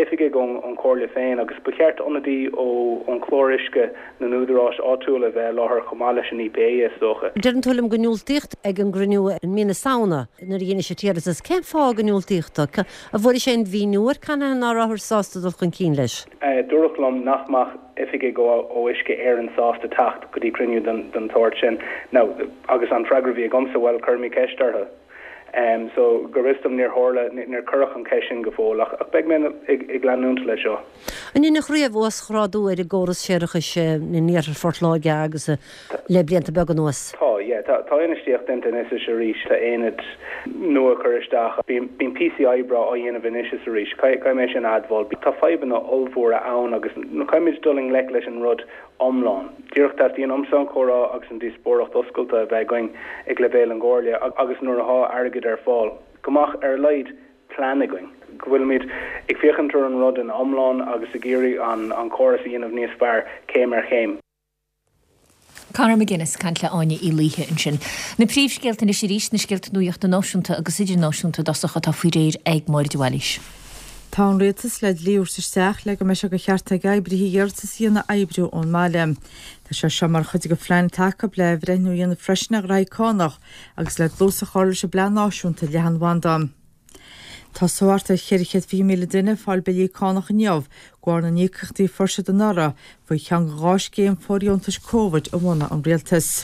oifigigh ón Chomhairle féin agus ba cheart ionadaí ón chlár uisce na n-údaráis áitiúla a bheith i láthair chomh maith leis an EPA, is dócha. Deireann tú liom gur diúltaíodh ag an gcruinniú i mí na Samhna nuair a dheinis an t-iarratas. Cén fáth gur diúltaíodh dó? An bhfuairis aon mhíniú ar canathaobh nach rabhthar sásta dul chun cinn leis? Dúradh liom nach mbeadh oifigigh ó Uisce Éireann sásta teacht go dtí cruinniú den tsórt sin. Now, agus an freagra a bhí agamsa, bhuel, cuirfimid ceist orthu. So, go bhfios dom níor tharla, níor cuireadh an cheist sin go fóill, ach beidh mé ag leanúint leis seo. An ndeineadh riamh uasghrádú ar an gcóras séarachais in iarthar Phort Láirge agus le blianta beaga anuas? Tá, yeah. Tá infheistíocht déanta anois is arís, tá aonaid nua curtha isteach, bíonn píosaí oibre á dhéanamh anois is arís, caithfidh mé sin a admháil. Tá fadhbanna ollmhóra ann agus caithfimid dul i ngleic leis an rud iomlán. Díreach teastaíonn uaimse an comhrá agus an díospóireacht oscailte a bheith againn ag leibhéal an gComhairle agus nuair atá airgead ar fáil, go mbeadh ar a laghad plean againn, go bhfuilimid ag féachaint ar an rud ina iomlán agus ag iarraidh an córas a dhéanamh níos fearr céim ar chéim. Conor McGuinness ag caint le Áine Uí Laoithe ansin. Na príomhscéalta anois arís, na scéalta nuachta náisiúnta agus idirnáisiúnta i dtosach atá faoi réir ag Máire de Bhailís. Tá an Rialtas le dlí a thabhairt isteach le go mbeidh sé de cheart ag oibrithe iarratas a dhéanamh oibriú ón mbaile. Tá sé seo mar chuid de phlean atá acu le athbhreithniú a dhéanamh freisin ar ghraithí cánach agus le dlús a chur leis an bPlean Náisiúnta Leathanbhanda. Tá thart ar cheithre chéad fiche míle duine ag fáil billí cánach inniu de bharr na n-íocaíochtaí a fuair siad anuraidh faoi cheann de dhá scéim fóirdheontais Covid a bhunaigh an Rialtas.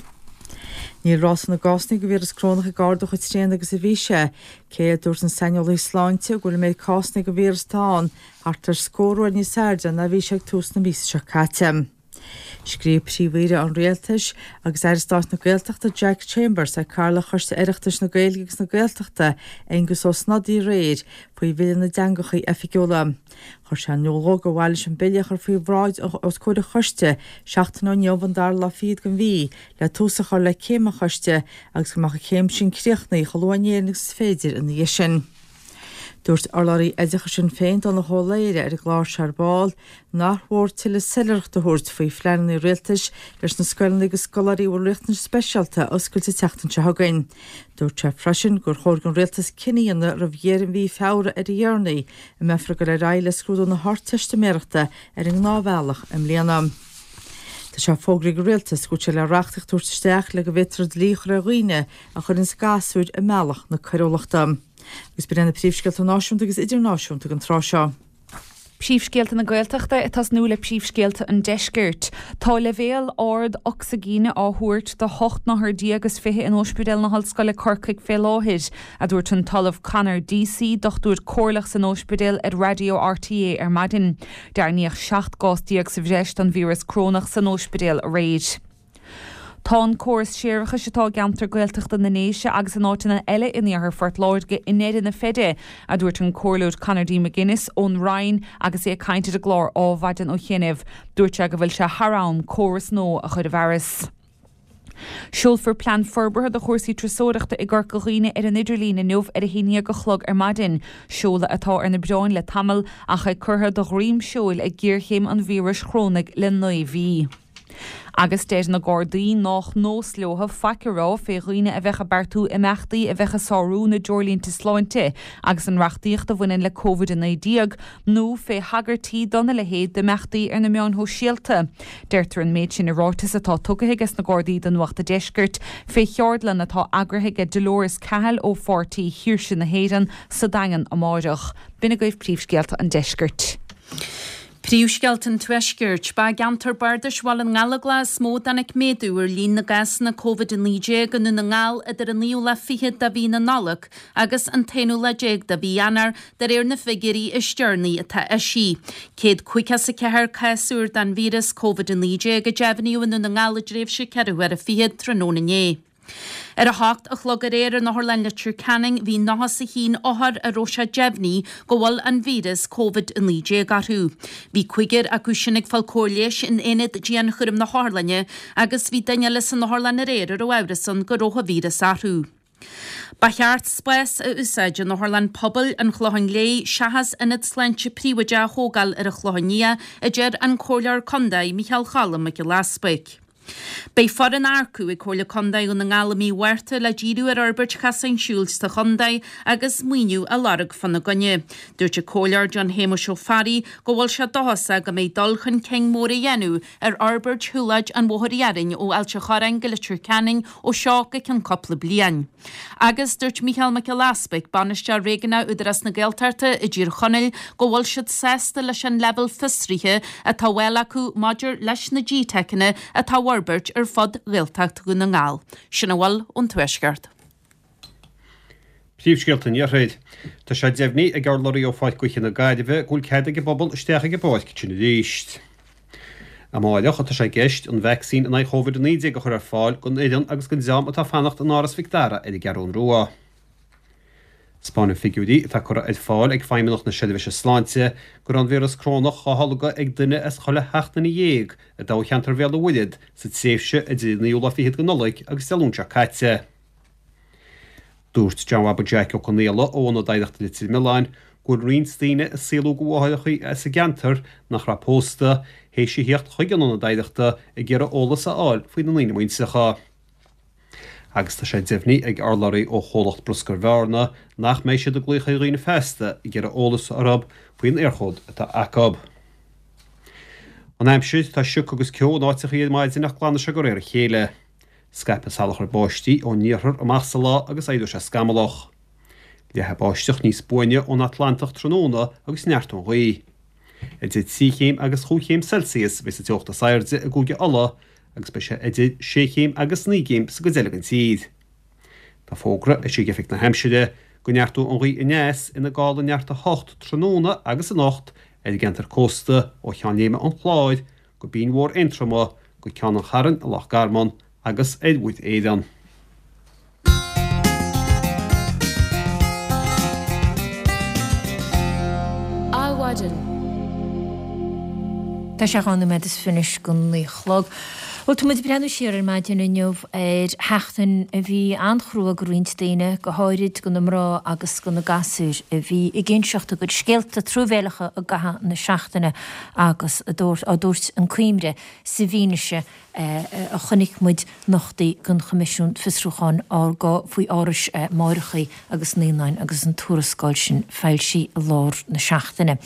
Níl ráta na gcásanna de víreas corónach ag ardú chomh tréan agus a bhí sé, cé a dúirt na saineolaithe sláinte go bhfuil an méid cásanna de víreas atá ann thart ar scór uair níos airde ná a bhí sé ag tús na míosa seo caite. Scríobh Príomh-Aoire an Rialtais agus Aire Stáit na Gaeltachta Jack Chambers ar Cathaoirleach Choiste Oireachtais na Gaeilge agus na Gaeltachta, Aengus Ó Snodaigh aréir faoi Bhille na dTeangacha Oifigiúla. Chuir sé in iúl dó gur mhaith leis an bille a chur faoi bhráid os comhair an choiste seachtain ó inniu an dara lá fichead den mhí le tús a chur le céim an choiste agus go mbeadh an chéim sin críochnaithe chomh luath in Éirinn agus is féidir ina dhiaidh sin. Dúirt urlabhraí oideachais Shinn Féin, Donnchadh Ó Laoghaire, ar an gclár seo ar ball, nach mhór tuilleadh soiléireachta a thabhairt faoi phleananna rialtais leis na scoileanna do scoláirí a bhfuil riachtanais speisialta a oscailt an tseachtain seo chugainn. Dúirt sé freisin gur chóir don rialtas cinneadh a dhéanamh roimh dheireadh mhí Feabhra ar a dheireanaí an mbeifear ag dul ar aghaidh le scrúdú na hArdteistiméireachta ar an ngnáthbhealach i mbliana. Tá sé fógraithe ag an rialtas go bhfuil sé le reachtaíocht a thabhairt isteach le go bhféadfar dlí a chur ar dhaoine a chuireanns gasúir i mbealach na coiriúlachta. Agus b'in iad na príomhscéalta náisiúnta agus idirnáisiúnta don tráth seo. Príomhscéalta na Gaeltachta ag tosnú le príomhscéalta an Deiscirt. Tá leibhéal ard ocsaigíne á thabhairt do hocht n-othar déag is fiche in Ospidéal na hOllscoile Corcaigh fé láthair, a dúirt an tOllamh Conor Deasy, dochtúir comhairleach san ospidéal ar Raidió RTÉ ar maidin. Deimhníodh seacht gcás déag sa bhreis den víreas corónach san ospidéal aréir. Tá an córas séarachais atá i gceantar Gaeltachta na nDéise agus in áiteanna eile in iarthar Phort Láirge i ndeireadh na feide, a dúirt an Comhairleoir Conor D McGuinness ón Rinn agus é ag caint ar an gclár Adhmhaidin ó chianaibh. Dúirt sé go bhfuil sé thar am córas nua a chur i bhfearas. Seolfar plean forbartha do chúrsaí turasóireachta i gCorca Dhuibhne ar an idirlíon inniu ar a haon déag a chlog ar maidin. Seoladh atá ar na bioráin le tamall ach é curtha de dhroim seoil ag géarchéim an víris chorónaigh le naoi mhí. Agus deir na Gardaí nách nós leo faic a rá fé dhaoine a bheadh ag beartú imeachtaí a bheadh ag sárú na dtreoirlínte sláinte agus an reachtaíocht a bhaineann le Covid a naoi déag nó fé thagairtí dona leithéid d'imeachtaí ar na meáin shóisialta. Deirtear an méid sin i ráiteas atá tugtha aige na Gardaí do Nuacht an Deiscirt fé cheardlann atá eagraithe ag Dolores Cahill ó Pháirtí Shaoirse na hÉireann sa Daingean amáireach. B'in agaibh príomhscéalta an deiscirt. Príomhscéalta an Tuaiscirt. Ba i gceantar bardais Bhaile na nGallóglach is mó a dtáinig méadú ar líon na gcásanna Covid a naoi déag i nDún na nGall idir an naoú lá fichead de mhí na Nollag agus an t-aonú lá déag de mhí Eanáir, de réir na bhfigiúirí is deireanaí atá eisithe. Céad caoga is a ceathair cás úr den víreas Covid a naoi déag a deimhníodh i nDún na nGall i dtréimhse ceithre huaire fichead tráthnóna inné. Ar a hocht a chlog aréir in Otharlann Leitir Ceanainn bhí nócha is a haon othar a raibh sé deimhnithe go bhfuil an víreas Covid a naoi déag orthu. Bhí cúigear acu sin ag fáil cóir leighis in aonad dianchúraim na hotharlainne agus bhí duine eile san otharlann aréir a raibh amhras ann go raibh an víreas orthu. Ba cheart spás a úsáid in Otharlann Pobail an Chlocháin Léith seachas ionad sláinte príobháideach a thógáil ar an Chlochán Liath, a deir an Comhairleoir Contae Micheál Cholm Mac Giolla Easpaig. Beidh foireann á earcú ag Comhairle Contae Dhún na nGall i mí Mhárta le díriú ar fhorbairt chasáin siúil sa chontae agus maoiniú a lorg fána gcoinne. Dúirt an Comhairleoir John Shéamuis Ó Fearraigh go bhfuil sé dóchasach go mbeidh dul chun cinn mór á dhéanamh ar fhorbairt shiúlóid an Bhóthair Iarainn ó Ailt an Chorráin go Leitir Ceanainn ó seo go ceann cúpla bliain. Agus dúirt Mícheál Mac Giolla Easpaig, Bainisteoir Réigiúnach Údarás na Gaeltachta i dTír Chonaill, go bhfuil siad sásta leis an leibhéal fiosraithe atá á fháil acu maidir leis na GTeiceanna atá á bhforbairt ar fud Ghaeltacht Dhún na nGall. Sin a bhfuil ón Tuaisceart. Príomhscéalta an Iarthair. Tá sé deimhnithe ag urlabhraí ó Pháirc Gaoithe na Gaillimhe go bhfuil cead ag an bpobal isteach ag an bpáirc sin arís. Amáireach atá sé i gceist an vacsaín in aghaidh Chóvid a naoi déag a chur ar fáil don fhoireann agus don dream atá ag fanacht in Áras Mhic Dara ar an gCeathrún Rua. Spáineann figiúirí atá curtha ar fáil ag Feidhmeannacht na Seirbhíse Sláinte go raibh an víreas corónach á tholgadh ag duine as chuile sheacht nduine dhéag i dtoghcheantar Bhéal an Mhuirthead sa tréimhse idir an naoú lá fichead de Nollaig agus Dé Luain seo caite. Dúirt John Bhaba Jack Ó Conaola ó Ionad Oidhreachta Leitir Mealláin go bhfuil roinnt daoine a saolaíodh do mháithreacha as an gceantar nach raibh pósta, théis a theacht chuig an Ionad Oidhreachta ag iarraidh eolas a fháil faoina ndaoine muintreacha. Agus tá sé deimhnithe ag urlabhraí ó chomhlacht bruscair Bhearna nach mbeidh siad ag glaoch ar dhaoine feasta ag iarraidh eolas orthu faoin Éirchód atá acu. An aimsir, tá sioc agus ceo in áiteachaí ar maidin ach glanfaidh sé de réir a chéile. Scaipfidh salachar báistí ón iarthar amach sa lá agus éireoidh sé scamallach. Leathfaidh báisteach níos buaine ón Atlantach tráthnóna agus neartóidh an ghaoth. Idir trí chéim agus chúig chéim Celsius a bheidh sa teocht is airde i gCúige Uladh agus beidh sé idir sé chéim agus naoi gcéim sa gcuid eile den tír. Tá fógra eisithe ag Oifig na hAimsire go neartóidh an ghaoth aneas ina gála neart a hocht tráthnóna agus anocht ar an gceantar cósta ó Cheann Léime an Chláir go Binn Mhór Aontroma go Ceann an Chairn i Loch Garman agus ar Mhuir Éireann. Adhmhaidin. Tá sé dhá nóiméad is fiche anois go naoi a chlog. Bhuel, tá muid ag breathnú siar ar maidin inniu ar sheachtain a bhí an-chrua go roinnt daoine, go háirid go na mná agus go na gasúir a bhí ag inseacht a gcuid scéalta truamhéileacha i gcaitheamh na seachtaine agus á dtabhairt chun cuimhne sa bhfianaise a chonaic muid nochtaí den Choimisiún Fiosrúcháin faoi árais máithreacha agus naíonáin agus an tuarascáil sin foilsithe i lár na seachtaine.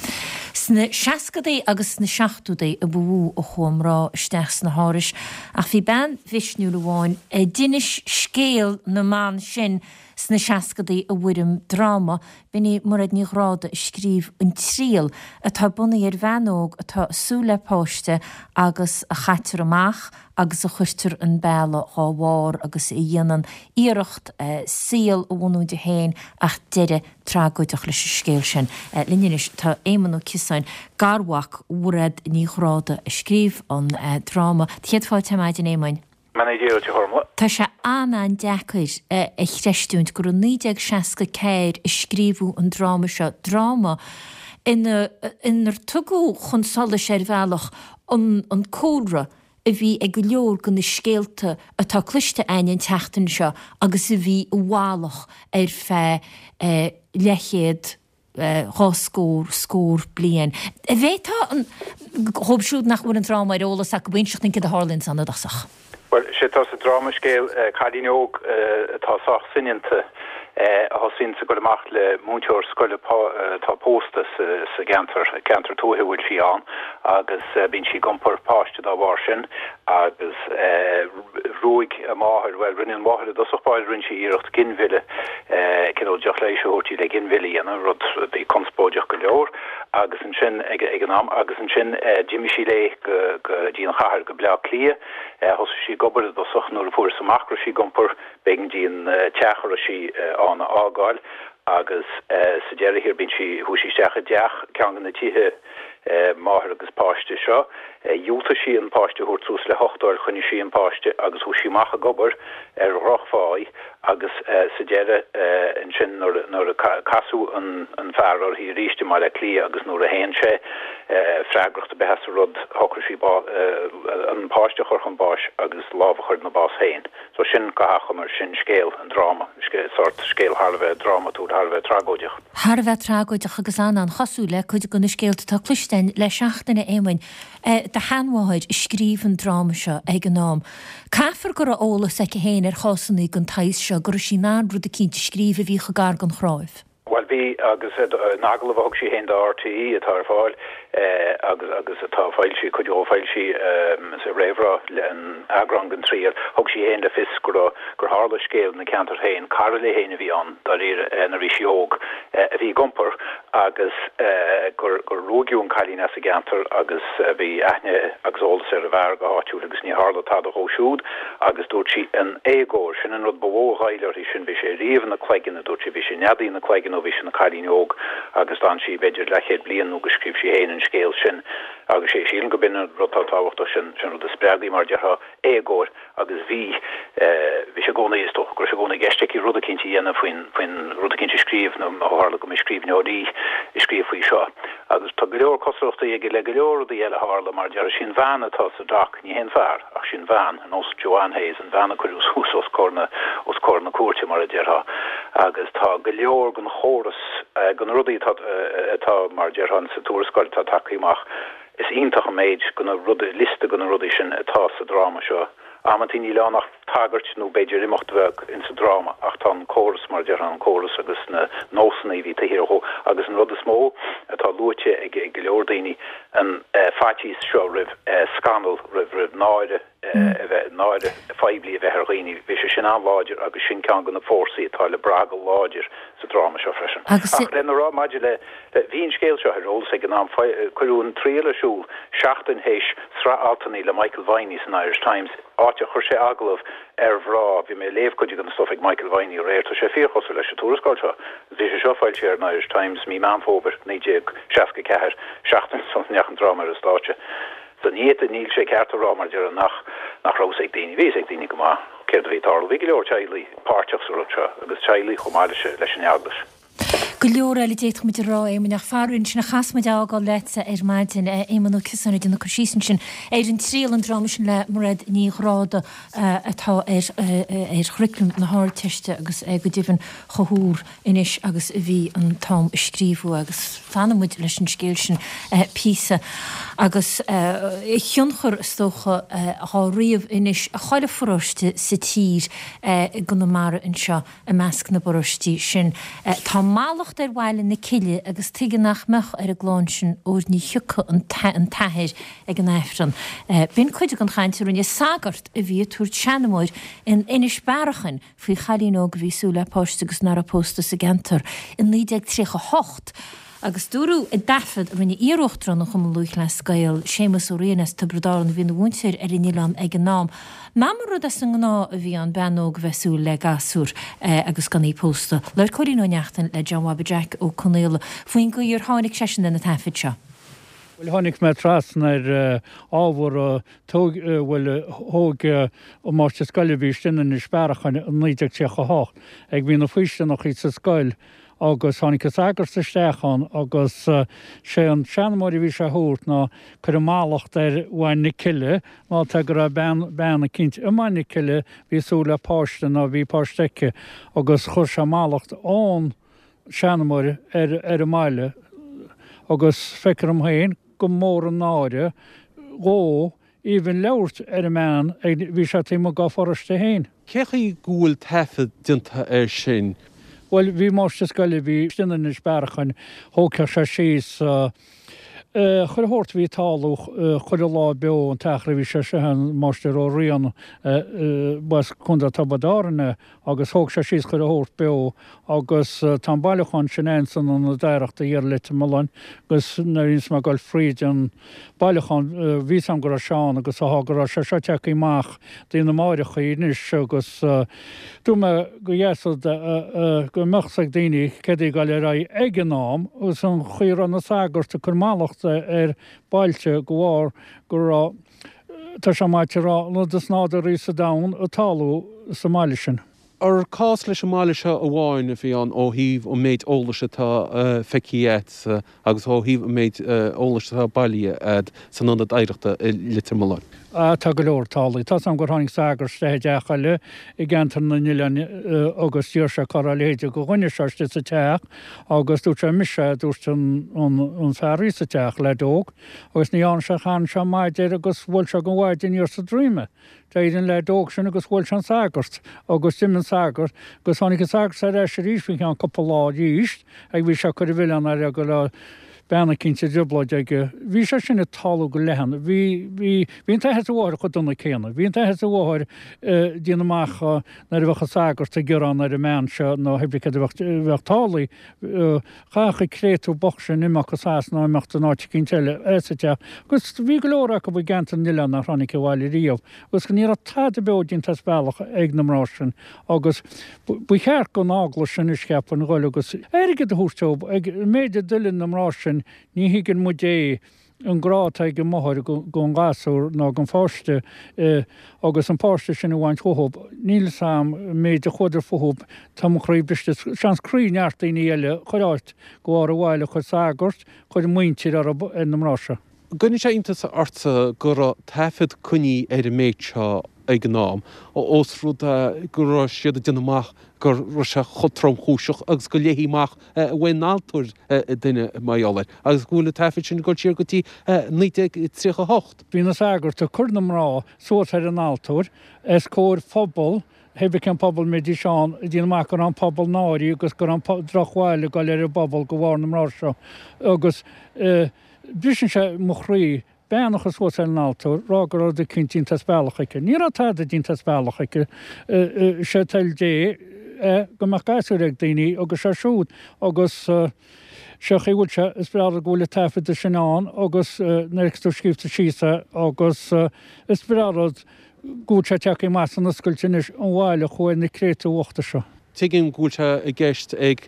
Sna seascadaí agus sna seachtódaí a ba mhó a chuaigh mná isteach sna hárais ach bhí bean mhisniúil amháin a d'inis scéal na mban sin sna seascadaí i bhfoirm dráma. B'in í Mairéad Ní Ghráda a scríobh An Triail, atá bunaithe ar bhean óg atá ag súil le páiste agus a chaitear amach agus a chuirtear an bealach dhá bharr agus a dhéanann iarracht saol a bhunú di féin ach deireadh tragóideach leis an scéal sin. Linn anois tá Éamonn Ó Ciosáin, garmhac Mhairéad Ní Ghráda a scríobh an dráma. Céad fáilte ar maidin, Éamoinn. Beannacht Dé duit, a Ghormfhlaith. Tá sé an-an-deacair a chreistiúint gur i naoi déag seasca ceathair a scríobhadh an dráma seo, dráma ina inar tugadh chun solais ar bhealach an an cúlra a bhí ag go leor de na scéalta atá cloiste againn an tseachtain seo agus a bhí i bhfalach ar feadh leathchéad dhá scór, scór bliain. An bhféadfá an, dhóibh siúd nach bhfuil an dráma ar eolas acu, inseacht dúinn céard a tharlaíonn ann i dtosach? Bhuel, sé atá sa dráma scéal cailín óg atá sách soineanta a thosaíonns ag dul amach le múinteoir scoile atá pósta sa gceantar, ceantar tuaithe a bhfuil sí ann, agus bíonn sí ag iompar páiste dá bharr sin agus ruaig a máthair, bhuel, rinne an mháthair i dtosach báire, rinne sí iarracht ginmhilleadh, cineál deoch leighis a thabhairt di le ginmhilleadh a dhéanamh, rud a bhí conspóideach go leor agus ansin ag an am, agus ansin d'imigh sí léi go dtí an chathair, go Bleá Cliath. Thosaigh sí ag obair i dtosach, nuair a fuarthas amach go raibh sí ag iompar, b'éigean di an teach a raibh sí ann a fhágáil agus sa deireadh thiar bíonn sí, chuaigh sí isteach i dteach, ceann de na tithe máthar agus páiste seo. Dhiúltaigh sí an páiste a thabhairt suas le huchtáil, choinnigh sí an páiste agus chuaigh sí amach ag obair ar dhrochpháí agus sa deireadh ansin nuair a casadh an fear uirthi arís i mBaile Átha Cliath agus nuair a shéan sé freagracht ar bith as an rud shocraigh sí an páiste a chur chun báis agus lámh a chur ina bás féin. So sin go hachomair, sin scéal an dráma, sórt scéal thar a bheith drámatúil, thar a bheith tragóideach. Thar a bheith tragóideach agus an-an-chosúil le cuid de na scéalta atá cloiste againn le seachtain, a Éamoinn. Do sheanmháthair a scríobh an dráma seo ag an am. Caithfear go raibh eolas aici féin ar chásanna den tsaghas seo, go raibh sí in ann rud eicínt a scríobh a bhí chomh gar don chnáimh. Bhuel, bhí, agus in agallamh a thug sí féin do RTÉ, atá ar fáil agus agus atá foilsithe, cuid dhó foilsithe sa réamhrá le an eagrán den Triail, thug sí féin le fios go raibh, gur tharla scéal ina ceantar féin, cara léi féin a bhí ann, dáiríre, nuair a bhí sí óg, a bhí ag iompar agus gur gur ruaigeadh an cailín as an gceantar agus bhí aithne agus eolas ar an bhfear go háitiúil agus ní tharla tada dhó siúd agus dúirt sí an éagóir, sin an rud ba mhó a ghoill uirthi sin, bhí sé riamh ina cloigeann, a dúirt sí, bhí sé neadaithe ina cloigeann ó bhí sí ina cailín óg agus d'fhan sí b'fhéidir leathchéad bliain nó go scríobh sí féin an scéal sin agus sé sílim go b'in an rud atá tábhachtach sin, sin rud a spreag í mar a déarfá, éagóir agus bhí, bhí sé i gcónaí, is dócha go raibh sé i gcónaí i gceist aici rud eicínt a dhéanamh faoin, faoin, rud eicínt a scríobh nó ó tharla go mba scríbhneoir í, a scríobh faoi seo. Agus tá go leor cosúlachtaí aige le go leor rudaí eile a tharla mar a déarfá, sí an bhean atá sa dock, ní hé an fear ach sí an bhean, ar nós Joanne Hayes, an bhean a cuireadh suas os comhair na, os comhair na cúirte mar a déarfá. Agus tá go leor den chóras, de na rudaí atá, atá mar a déarfá sa tuarascáil atá tagtha amach, Is iontach an méid de na rudaí, liosta de na rudaí sin atá sa dráma seo. Amantaí níl ann ach tagairt nó b'fhéidir imeacht bheag insa dráma ach tá an córas, mar a déarfá, an córas agus na nósanna a bhí taobh thiar dhó agus an rud is mó atá luaite ag go leor daoine, an faitíos seo roimh scannal, roimh, roimh náire a bheith, náire phoiblí a bheith ar dhaoine, bhí sé sin an-láidir agus sin ceann de na fórsaí atá le brath go láidir sa dráma seo freisin. Ach lena rá maidir le, bhí an scéal seo ar eolas ag an am, cuireadh an triail ar siúl seachtain théis sraith altanna le Michael Viney san Irish Times, áit a chuir sé agallamh ar mhná, bhí mé ag léamh cuid den stuif ag Michael Viney aréir, tá sé fíorchosúil leis an tuarascáil seo. Bhí sé seo foilsithe ar an Irish Times mí Meán Fómhair naoi déag seasca a ceathair, seachtain sula ndeachaigh an dráma ar an stáitse. So ní fhéadfaí, níl sé ceart a rá mar a déarfá nach nach raibh fhios ag daoine, bhí fhios ag daoine go maith céard a bhí ag tarlú. Bhí go leor teaghlaigh páirteach sa rud seo agus teaghlaigh chomh maith leis leis an Eaglais. Go leor eile d'fhéadfadh muid a rá, Éamoinn, ach faraor ansin a chaithfeas muid a fhágáil leatsa ar maidin, Éamonn Ó Ciosáin ag déanamh cur síos ansin ar An Triail, an dráma sin le Mairéad Ní Ghráda atá ar ar churaclam na hArdteiste agus é go deimhin chomh húr anois agus a bhí an t-am a scríobhadh agus fanfaidh muid leis an scéal sin píosa agus a thionchar is dócha dhá ríomh anois i chuile pharóiste sa tír i gConamara anseo i measc na bparóistí sin. Tá mallacht ar Bhaile na Cille agus tuige nach mbeadh ar an gclann sin óir ní thiocfadh an t-athair ag an Aifreann. B'in cuid den chaint a rinne sagart a bhí ag tabhairt seanmóir in Inis Bearachain faoi chailín óg a bhí ag súil le páiste agus nach raibh pósta sa gceantar i naoi déag tríocha a hocht agus dúradh i dtaifead a rinne iar-uachtarán an Chumann Lúthchleas Gael, Séamus Ó Riain as Tiobraid Árann a bhí ina mhúinteoir ar an oileán ag an am, nach mba rud as an ngnáth a bhí ann bean óg a bheith ag súil le gasúr agus gan í pósta. Labhair Cóilín Ó Neachtain le John Bhobby Jack Ó Conaola faoin gcaoi ar tháinig seisean ar na taifid seo. Bhuel, tháinig mé trasna ar ábhar a tóg, bhuel, thóg an máistir scoile a bhí istigh in Inis Bearachain i naoi déag tríocha a hocht ag bhí na faoistineachaí sa scoil agus tháinig an sagart isteach ann agus sé an seanmóir a bhí sé a thabhairt ná cuireadh mallacht ar Mhaigh na Cille ná tá go raibh bean, bean eicínt i Maigh na Cille bhí ag súil le páiste ná bhí páiste aici agus chuir sé mallacht ón seanmóir ar ar an mbaile agus feictear dom féin go mór an náire dhó even labhairt ar an mbean ag bhí sé taobh amuigh dá pharóiste féin. Cé chaoi go bhfuil taifead déanta air sin? Bhuel, bhí máistir scoile, bhí istigh in Inis Bearachain, thógfadh sé síos chuile shórt a bhí ag tarlú chuile lá beo an t-achar a bhí sé seo, an Máistir Ó Riain, b'as Contae Tiobraid Árann é agus thóg sé síos chuile shórt beo agus tá an bailiúchán sin ann san Ionad Oidhreachta thiar i Leitir Mealláin agus nuair a bhíonns mé ag dul fríd an bailiúchán bhí 'fhios a'm go raibh sé ann agus tá go raibh sé seo tagtha amach do na máithreachaí anois agus dúirt mé go dheas go mbeadh 's ag daoine céard a bhí ag dul ar aghaidh ag an am agus an chaoi a raibh na sagairt ag cur mallacht ar bailte go bharr go raibh, tá sé maith a rá, an rud is nádúraí sa domhan ag tarlú sa mbaile sin. Ar cás leis an mbaile seo amháin a bhí ann ó thaobh an méid eolais atá feicthe agat agus ó thaobh an méid eolais atá bailithe agat san Ionad Oidhreachta i Leitir Mealláin? Ah, tá go leor tarlaithe. Tá's a'm gur tháinig sagart isteach i dteach eile i gceantar na nOileán agus d'iarr sé cá raibh a leithéide de dhuine seo istigh sa teach agus dúirt sé mise é, a dúirt an fear a bhí sa teach, leaid óg, agus ní dhearna sé, chan sé maide air agus bhuail sé den mhaide aniar sa droim é. D'éirigh an leaid óg sin agus bhuail sé an sagart agus d'imigh an sagart agus tháinig an sagart ar ais arís faoi cheann cúpla lá arís ag bhí sé ag cur an mhilleáin air go raibh bean eicínt i dtrioblóid aige. Bhí sé sin ag tarlú go leathan. Bhí, bhí, bhí an t-athair is an mháthair chomh dona céanna. Bhí an t-athair is an mháthair ag déanamh amach nuair a bheadh an sagart ag gearán ar an mbean seo nó pé bith céard a bheadh, bheadh tarlaithe. Chaithfeadh an créatúr bocht sin imeacht go Sasana nó imeacht in áit eicínt eile as an teach. Agus bhí go leor acu i gceantar na nOileán nár tháinig abhaile riamh. Agus ní raibh tada beo déanta as bealach ag na mná sin. Agus ba cheart don eaglais anois cheapfainn dhul agus airgead a thabhairt dóibh ag an méid a d'fhuilaing na mná sin ní thuigeann muid é an grá atá ag an máthair don ghasúr nó don pháiste agus an páiste sin a bhaint uathub níl 'fhios a'm an méid a chuadar fúthub tá mo chroí briste seans croí neart daoine eile chuir áit go bharr an bhaile chuir sagart chuir muintir orthub ar na mná seo. Cuireann sé iontas ortsa go raibh taifead coinnithe ar an méid seo ag an am, ós rud é go raibh siad ag déanamh amach go raibh sé chomh tromchúiseach agus go léifí amach uaidh an altóir duine mar gheall air, agus go bhfuil na taifid sin ag dul siar go dtí naoi déag tríocha a hocht. Bhí na sagairt ag cur na mná suas ar an altóir os comhair phobal, pé bith cén pobal a mbeidís ann, ag déanamh amach go raibh an pobal náirithe agus go raibh an drochbhail ag dul ar an bpobal de bharr na mná seo agus. Briseann sé mo chroí bean a chur suas ar an altóir, rá go raibh rud eicínt déanta as bealach aici. Ní raibh tada déanta as bealach aici. Sé toil Dé é go mbeadh gasúir ag daoine agus sé siúd agus sé chaoi a bhfuil sé, is breá rud go bhfuil an taifead sin ann agus nuair a fheicfeas tú scríobhta síos é agus is breá rud go bhfuil sé tagtha amach san oscailt anois an bhail a chuaigh ar na créatúir bhochta seo. Tuigim go bhfuil sé i gceist ag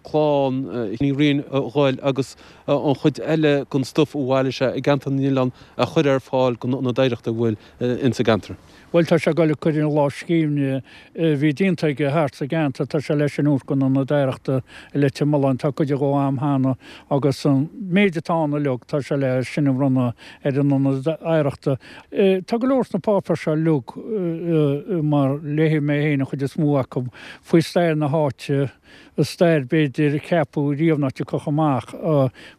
clann Ní Riain a dhul agus an chuid eile den stuif a bhailigh sé i gceantar na nOileán a chur ar fáil don Ionad Oidhreachta a bhfuil ins an gceantar. Bhuel, tá sé ag dul ag cur an lámhscríbhinn a bhí déanta aige thart sa gceantar, tá sé leis sin a thabhairt don Ionad Oidhreachta i Leitir Mealláin, tá cuid dhó a'm cheana agus an méid atá ann uilig, tá sé le sin a bhronnadh ar an Ionad Oidhreachta. Tá go leor sna páipéir seo uilig, mar léigh mé féin an chuid is mó acu, faoi stair na háite, stair b'fhéidir a ceapadh riamh nach dtiocfadh amach,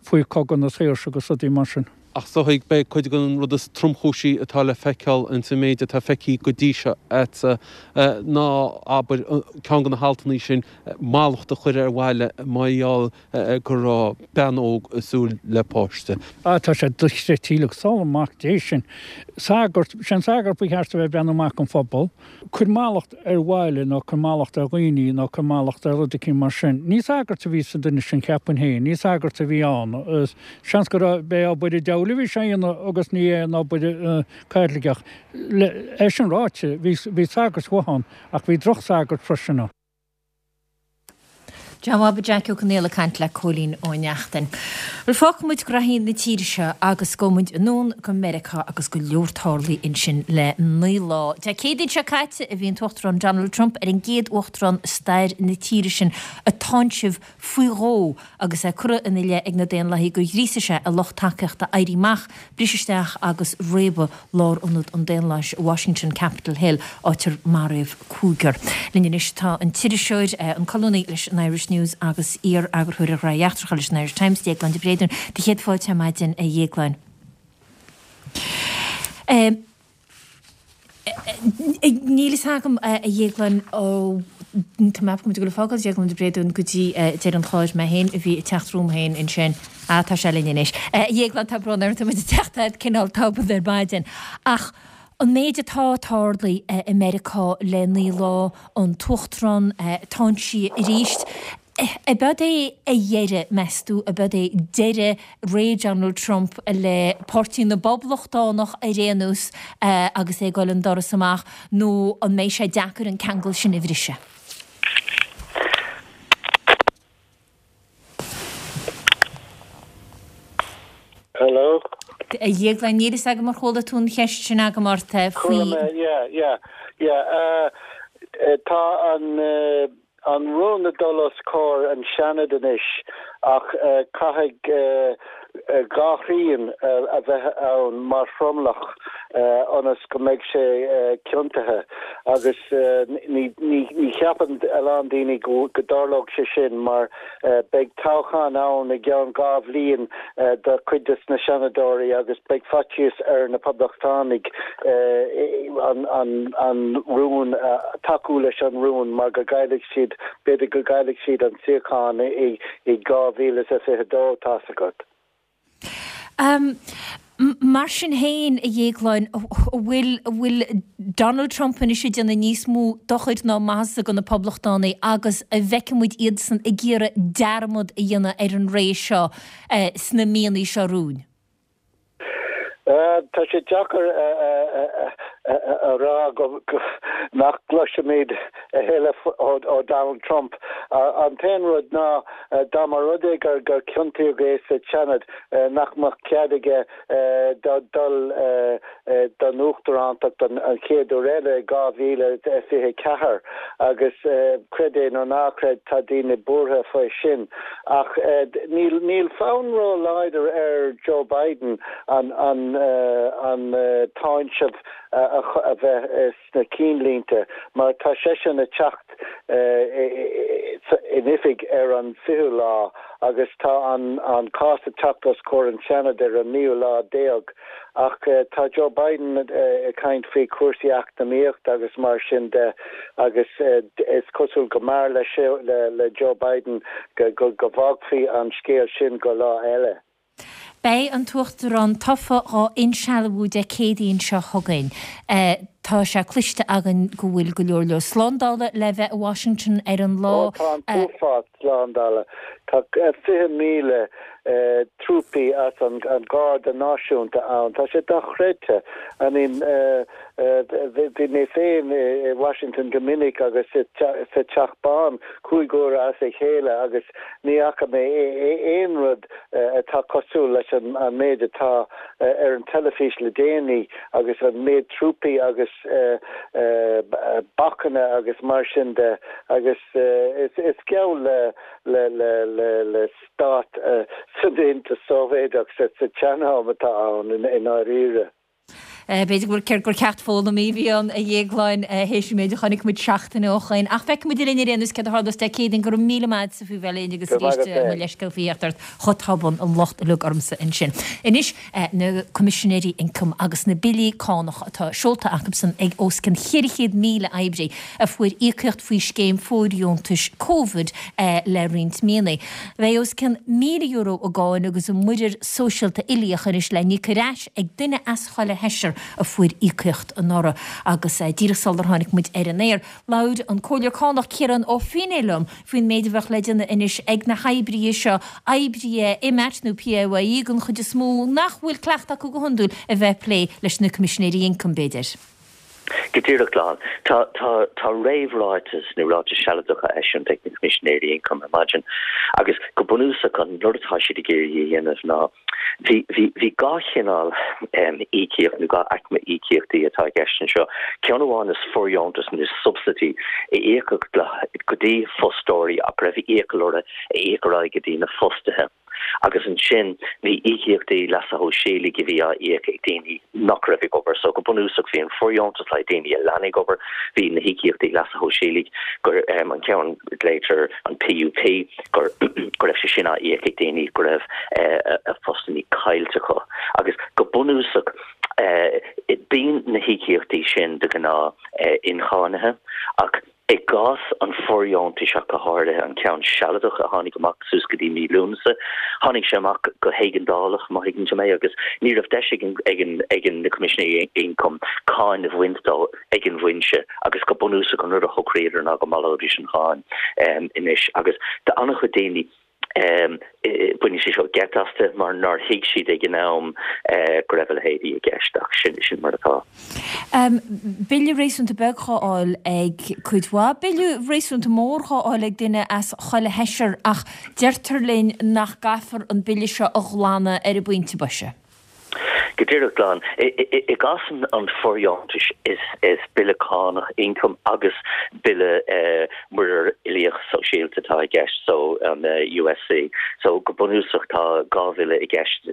faoi Cogadh na Saoirse agus rudaí mar sin. Ach is dóigh beidh cuid den rud is tromchúisí atá le feiceáil ins an méid atá feicthe go dtí seo a'dsa ná, abair, ceann de na haltannaí sin, mallacht a chur ar bhaile mar gheall go raibh bean óg ag súil le páiste. Ah, tá sé dochreidte uilig, sála mac Dé sin. Sagart, sé an sagart ba cheart a bheith ag breathnú amach don phobal. Cuir mallacht ar bhaile nó cuir mallacht ar dhaoine nó cuir mallacht ar rud eicínt mar sin. Ní sagart a bhí sa duine sin, cheapfainn féin. Ní sagart a bhí ann. Seans go raibh, b'é obair an diabhail a bhí sé a dhéanamh agus ní aon obair Caitliceach. É sin ráite, bhí, bhí sagairt mhaithe ann ach bhí droch-sagairt freisin ann. Jab Jack Ó Conghaile ag caint le Cóilín Ó Neachtain. Bhuel fágfaidh muid graithí na tíre seo agus gabhfaidh muid anonn go Meiriceá agus go leor tarlaithe ansin le naoi lá. Dé Céadaoin seo caite a bhí an tUachtarán Donald Trump ar an gcéad uachtarán i stair na tíre sin a táinseamh faoi dhó agus é curtha ina leith ag na Daonlathaigh gur ghríosaigh sé a lucht tacaíochta éirí amach, briseadh isteach agus réabadh lárionad an daonlathais i Washington, Capitol Hill, áit ar maraíodh cúigear. Linn anois tá an t-iriseoir, an colúnaí leis an Irish News agus iar-eagarthóir ar Ghraithí Eachtracha leis an Irish Times, Déaglán de Bréadún. Do chéad fáilte ar maidin, a Dhéagláin. Níl fhios agam, a Dhéagláin, ó tá mé ag dul a fágáil Déaglán de Bréadún go dtí deireadh an chláir mé féin a bhí ag teacht romham féin ansin. Ah, tá sé linn anois. A Dhéagláin, tá brón orm, tá muid ag teacht agat cineál tobann ar maidin. Ach an méid atá tarlaithe i Meiriceá le naoi lá, an tUachtarán táinsithe arís, Ab eod é a dheireadh, meas tú, ab eod é deireadh ré Donald Trump le Páirtí na bPoblachtánach ar aon nós agus é ag dul an doras amach nó an mbeidh sé deacair an ceangal sin a bhriseadh? Hello? A Dhéagláin, níl fhios agam ar chuala tú an cheist sin agam ort faoi. Chuala mé, yeah, yeah, yeah. Tá an an rún ag dul os comhair an Seanad anois ach caithfidh dhá thrian a bheith ann mar thromlach ionas go mbeidh sé ciontaithe agus ní ní cheapann a lán daoine go dtarlódh sé sin mar beidh toghchán ann i gceann dhá bhliain do chuid de na Seanadóirí agus beidh faitíos ar na Poblachtánaigh an rún, tacú leis an rún mar go gcaillfidh siad, b'fhéidir go gcaillfidh siad an suíochán i dhá mhíle is a fiche dó, tá's agat. Mar sin féin, a Dhéagláin, an bhfuil, an bhfuil Donald Trump anois ag déanamh níos mó dochair ná maitheasa do na Poblachtánaigh agus an bhfeicfidh muid iadsan ag iarraidh dearmad a dhéanamh ar an ré seo sna míonna seo romhainn? Tá sé deacair a rá nach gcloisfimid a thuilleadh ó Donald Trump. An t-aon rud ná dá mba rud é gur ciontaíodh é sa tSeanad nach mbeadh cead aige dul don uachtarántacht an chéad uair eile i dhá mhíle is fiche a ceathair agus creid é nó ná creid tá daoine buartha faoi sin. Ach níl fonn ró-láidir ar Joe Biden an an táinseamh a bheith sna cinnlínte mar tá seisean ag teacht in oifig ar an fichiú lá agus tá an cás ag teacht os comhair an tSeanaid ar an naoú lá déag. Ach tá Joe Biden ag caint faoi chúrsaí eacnamaíochta agus mar sin de agus is cosúil go mb'fhearr le Joe Biden go bhfágfaí an scéal sin go lá eile. Beidh an tUachtarán tofa dhá insealbhú Dé Céadaoin seo chugainn. Tá sé cloiste againn go bhfuil go leor leor slándála le bheith i Washington ar an lá. Ó tá an t-uafás slándála. Tá fiche míle trúpaí as an Gharda Náisiúnta ann. Tá sé dochreidte. I mean, bhí mé féin i Washington go minic agus sa Teach Bán cúig huaire as a chéile agus ní fhaca mé aon rud atá cosúil leis an méid atá ar an teilifís le déanaí agus an méid trúpaí agus bacanna agus mar sin de agus is geall le le stát san Aontas Sóivéadach sa tsean-am atá ann i ndáiríre. B'fhéidir gur gur ceacht foghlamtha a bhí ann, a Dhéagláin, théis an méid a chonaic muid seachtain ó shoin. Ach feicfidh muid linn ar aon nós céard a tharlós Dé Céadaoin. Go raibh míle maith agatsa faoi bheith linn agus arís mo leithscéal faoi theacht ort chomh tobann, an locht uilig ormsa ansin. Anois, na Coimisinéirí Ioncaim agus na billí cánach atá seolta acusan ag os cionn cheithre chéad míle oibrí a fuair íocaíocht faoi scéim fóirdheontais Covid le roinnt míonna. Beidh os cionn míle euro i gcáin agus i muirear sóisialta uilíoch anois le n-íoc ar ais ag duine as chuile sheisear a fuair íocaíocht anuraidh. Agus díreach sular tháinig muid ar an aer, labhair an Comhairleoir Cánach Ciarán Ó Feinneadha liom faoin méid a bheadh le déanamh anois ag na hoibrithe seo, oibrithe IMAT nó PAYE den chuid is mó, nach bhfuil cleachtadh acu go hiondúil a bheith ag plé leis na Coimisinéirí Ioncaim, b'fhéidir. Go díreach glan. Tá tá tá réamhráiteas nó ráiteas sealadach á eisiúint ag na Coimisinéirí Ioncaim ar maidin agus go bunúsach an rud atá siad ag iarraidh a dhéanamh ná bhí bhí bhí dhá chineál íocaíocht nó dhá aicme íocaíochtaí atá i gceist anseo. Ceann amháin is fóirdheontas nó subsidy a íocadh go dtí fostóirí ach go raibh iachall orthu a íoc ar aghaidh go dtí na fostaithe. Agus ansin bhí íocaíochtaí leasa shóisialaigh a bhí á íoc ag daoine nach raibh ag obair. So go bunúsach bhí an fóirdheontas le daoine a lean ag obair, bhí na híocaíochtaí leasa shóisialaigh gur um, an ceann glaotar an PUP gur go raibh sé sin á íoc ag daoine go raibh uh, a phostanna caillte acu. Agus go bunúsach uh, bíonn na híocaíochtaí sin de ghnáth uh, incháinithe ach I gcás an fóirdheontais ach go háirithe an ceann sealadach a tháinig amach suas go dtí mí Lúnasa, tháinig sé amach go héigeandálach, má thuigeann tú mé, agus ní raibh deis ag an ag na Coimisinéirí Ioncaim cáin a bhaint dó ag an bhfoinse agus go bunúsach an rud a shocraíodar ná go mbaileoidís an cháin anois agus d'an-chuid daoine Baineann sé seo geit astu mar nár thuig siad ag an am go raibh a leithéidí i gceist ach sin sin mar atá. Bille réasúnta beag dhá fháil ag cuid mhaith, bille réasúnta mór dhá fháil ag duine as chuile sheisear ach deirtear linn nach gcaithfear an bille seo a ghlanadh ar an bpointe boise. Go díreach glan. I gcás an fóirdheontais is bille cánach ioncaim agus bille muirear uilíoch sóisialta atá i gceist, so an USC. So go bunúsach tá dhá bhille i gceist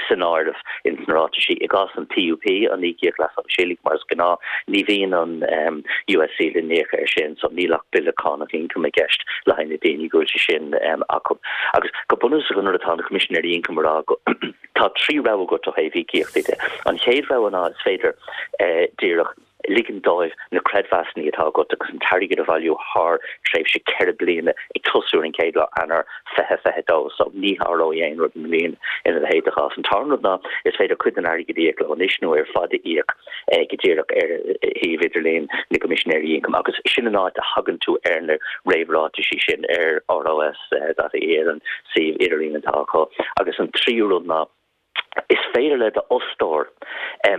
san áireamh ins na ráitisí. I gcás an PUP, an íocaíocht leasa shóisialaigh mar is gnáth, ní bhíonn an USC le n-íoc air sin, so níl ach bille cánach ioncaim i gceist le haghaidh na daoine go bhfuil sé sin acu. Agus go bunúsach an rud atá na Coimisinéirí Ioncaim a rá go Tá trí rogha agat ó thaobh íocaíochtaí de. An chéad rogha ná is féidir díreach ligean dóibh na creidmheasanna atá agat agus an t-airgead a bhailiú thar tréimhse ceithre bliana ag tosú ar an chéad lá Eanáir fiche fiche dó. So ní tharlóidh aon rud i mbliana ina leithéid de chás. An tarna rud ná is féidir cuid den airgead a íoc leo anois nó ar fad a íoc go díreach ar shuíomh idirlín na gCoimisinéirí Ioncaim agus sin an áit a thagann tú ar na réamhráitisí sin ar ROS dot ie ar an suíomh idirlín atá acu. Agus an tríú rud ná is féidir le d'fhostóir,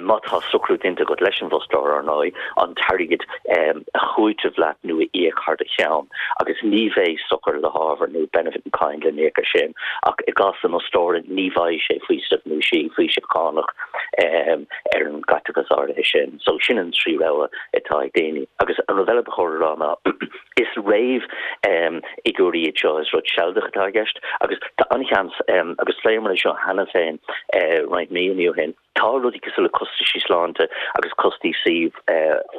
má tá socrú déanta agat leis an bhfostóir, ar ndóigh, an t-airgead a chúiteamh leat nó a íoc thar do cheann agus ní bheidh sochar le hábhar nó benefit in kind le n-íoc air sin. Ach i gcás an fhostóra, ní bhfaighidh sé faoiseamh nó sí faoiseamh cánach ar an gcaiteachas áirithe sin. So sin an trí rogha atá ag daoine. Agus an rud eile ba chóir a rá ná is réamhfhigiúirí iad seo, is rud sealadach atá i gceist agus tá an-sheans, agus phléamar é seo cheana féin roinnt míonna ó shin, tá rudaí cosúil le costaisí sláinte agus costaisí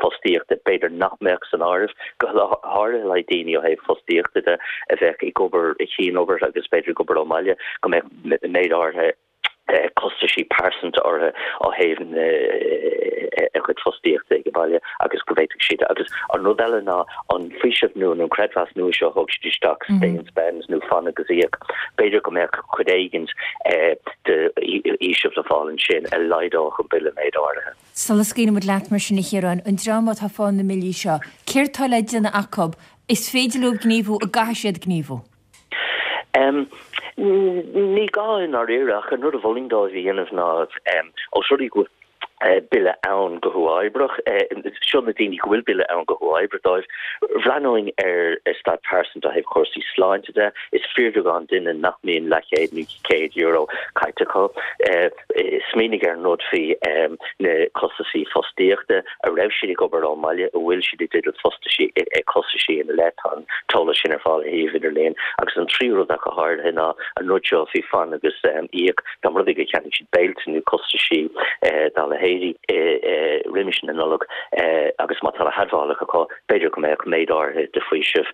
fostaíochta b'fhéidir nach mbeadh san áireamh, go háirithe le daoine ó thaobh fostaíochta de a bheadh ag obair i gcianobair agus b'fhéidir ag obair ón mbaile, go mbeadh méid áirithe costaisí pearsanta orthu ó thaobh a gcuid fostaíochta ag baile agus go bhféadfadh siad agus an rud eile ná an faoiseamh nua nó an creidmheas nua seo a thug siad isteach stay and spend nó fan agus íoc b'fhéidir go mbeadh cuid éigint de fhaoiseamh le fáil ansin a laghdódh an bille méid áirithe. Sula scaoileann muid leat mar sin a Chiaráin, an dream atá ag fáil na mbillí seo, céard tá le déanamh acu? Is féidir leo gníomhú, an gcaithfidh siad gníomhú? Ní gá i ndáiríre ach an rud a mholfainn dóibh a dhéanamh ná ós rud é go bhfuil bille ann go huathoibríoch, seo na daoine go bhfuil bille ann go huathoibríoch dóibh, bhreathnóinn ar a staid pearsanta ó thaobh cúrsaí sláinte de, is fíorbheagán duine nach mbíonn leathchéad nó céad euro caite acu. Smaoinigh ar an rud faoi na costaisí fostaíochta, an raibh siad ag obair ón mbaile, an bhfuil siad i dteideal fostaisí, costaisí ina leith, tá an t-eolas sin ar fáil ar shuíomh idirlín. Agus an tríú rud ach go háirithe ná an rud seo faoi fan agus íoc, dá mba rud é gur cheannaigh siad béilte nó costaisí dá leithéidí roimis na Nollag agus má tá na hadmhálacha acu, b'fhéidir go mbeadh méid áirithe de faoiseamh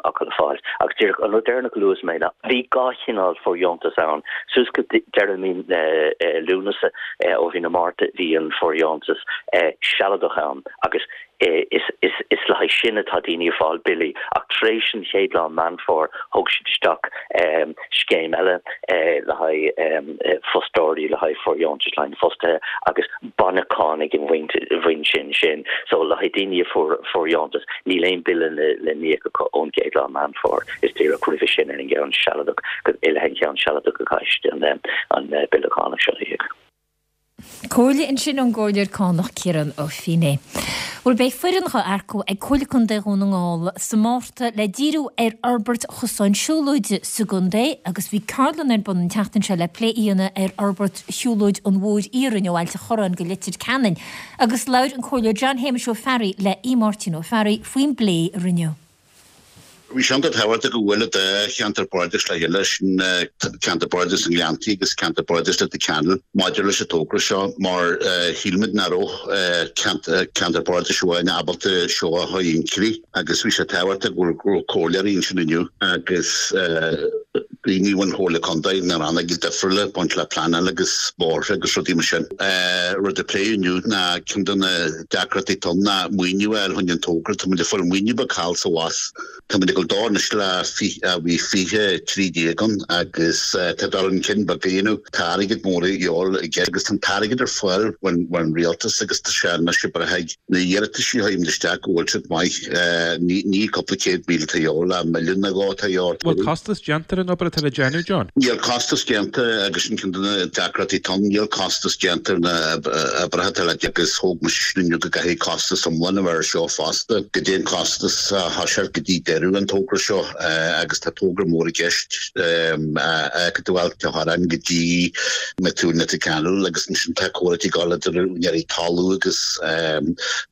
acu le fáil. Agus díreach an rud deireanach a luafaidh mé ná bhí dhá chineál fóirdheontas ann. Suas go deireadh mí Lúnasa ó mhí na Márta bhí an fóirdheontas sealadach ann agus is le haghaidh sin atá daoine ag fáil billí ach tar éis an chéad lá Meán Fómhair thóg siad isteach scéim eile le haghaidh fostóirí, le haghaidh fóirdheontais le haghaidh na fostaithe agus baineadh cáin ag an bhfoinse ansin. So le haghaidh daoine a fuair fóirdheontas níl aon bille le n-íoc acu ón gcéad lá Meán Fómhair, is díreach roimhe sin ar an gceann sealadach, i leith an cheann sealadach a chaithfidh siad an bille cánach seo a íoc. Comhairle ansin ón gComhairleoir Cánach Ciarán Ó Feinneadha. Bhuel beidh foireann á earcú ag Comhairle Contae Dhún na nGall sa Márta le díriú ar fhorbairt chosáin siúlóide sa gcontae agus bhí ceardlann ar bun an tseachtain seo le plé a dhéanamh ar fhorbairt shiúlóid an Mhóir Iarainn ó Ailt an Chorráin go Leitir Ceanainn agus labhair an Comhairleoir John Shéamuis Ó Fearraigh le Aodh Máirtín Ó Fearraigh faoin bplé a rinneadh. Bhí sé iontach tábhachtach go bhfuil an dá cheantar bardais le chéile, sin ceantar bardais na nGleanntaí agus ceantar bardais Leitir Ceanainn maidir leis an togra seo mar shíl muid nach raibh ceantar bardais amháin ábalta seo a chur chun críche agus bhí sé tábhachtach go raibh comhairleoirí ansin inniu agus daoine ón Chomhairle Contae na rannóga difriúla ag baint le pleanáil agus bóithre agus rudaí mar sin. Rud a pléadh inniu ná ceann de na deacrachtaí atá ann ná maoiniú a fháil chun an togra, tá muid ag fáil maoiniú beag thall is abhus. Tá muid ag dul dó anois le bhí fiche trí déag ann agus tá dul chun cinn beag a dhéanamh. Tá airgead mór a dhíobháil i gceist agus tá an t-airgead ar fáil ón rialtas agus tá sé anois ag brath ag na hiarratais a chuirimid isteach go bhfuil siad maith. Ní cúpla céad míle atá a dhíobháil ach milliún nó dhó atá a dhíobháil. Bhfuil costas déanta ar an obair atá le déanamh, John? Níl costas déanta agus sin ceann de na deacrachtaí atá ann. Níl costas déanta ar na oibreacha atá le déanamh agus thóg mise sin inniu go gcaithfidh costas iomlán a bheith ar seo fosta. Goidé an costas a thoiseacht go dtí deireadh an togra seo agus tá togra mór i gceist ag dul ó Ailt an Chorráin go dtí Methuen Leitir Ceanainn agus ansin tá comhráití ag dul idir úinéirí talún agus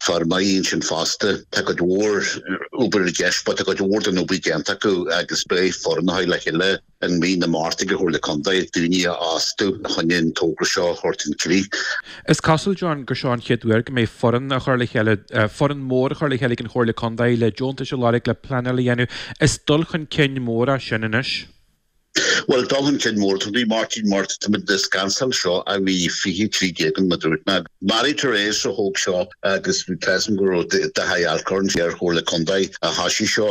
feirmeoirí ansin fosta. Tá cuid mhór obair i gceist but tá cuid mhór den obair déanta acu agus beidh foireann á chur le chéile i mí na Márta ag an Chomhairle Contae daoine a fhostú chun an togra seo a thabhairt chun críche. Is cosúil, John, gur seo an chéad uair go mbeidh foireann á chur le chéile, foireann mór á chur le chéile ag an Chomhairle Contae le deontais a lorg, le pleanáil a dhéanamh. Is dul chun cinn mór é sin anois. Bhuel, dul chun cinn mór, tá Máirtín, mar tá muid ag scansáil seo a bhí fiche trí déag an mar a dúirt mé. Mary Therese a thóg seo agus bhí tá a fhios agam go raibh Daithí Alcorn ar Chomhairle Contae a thoisigh seo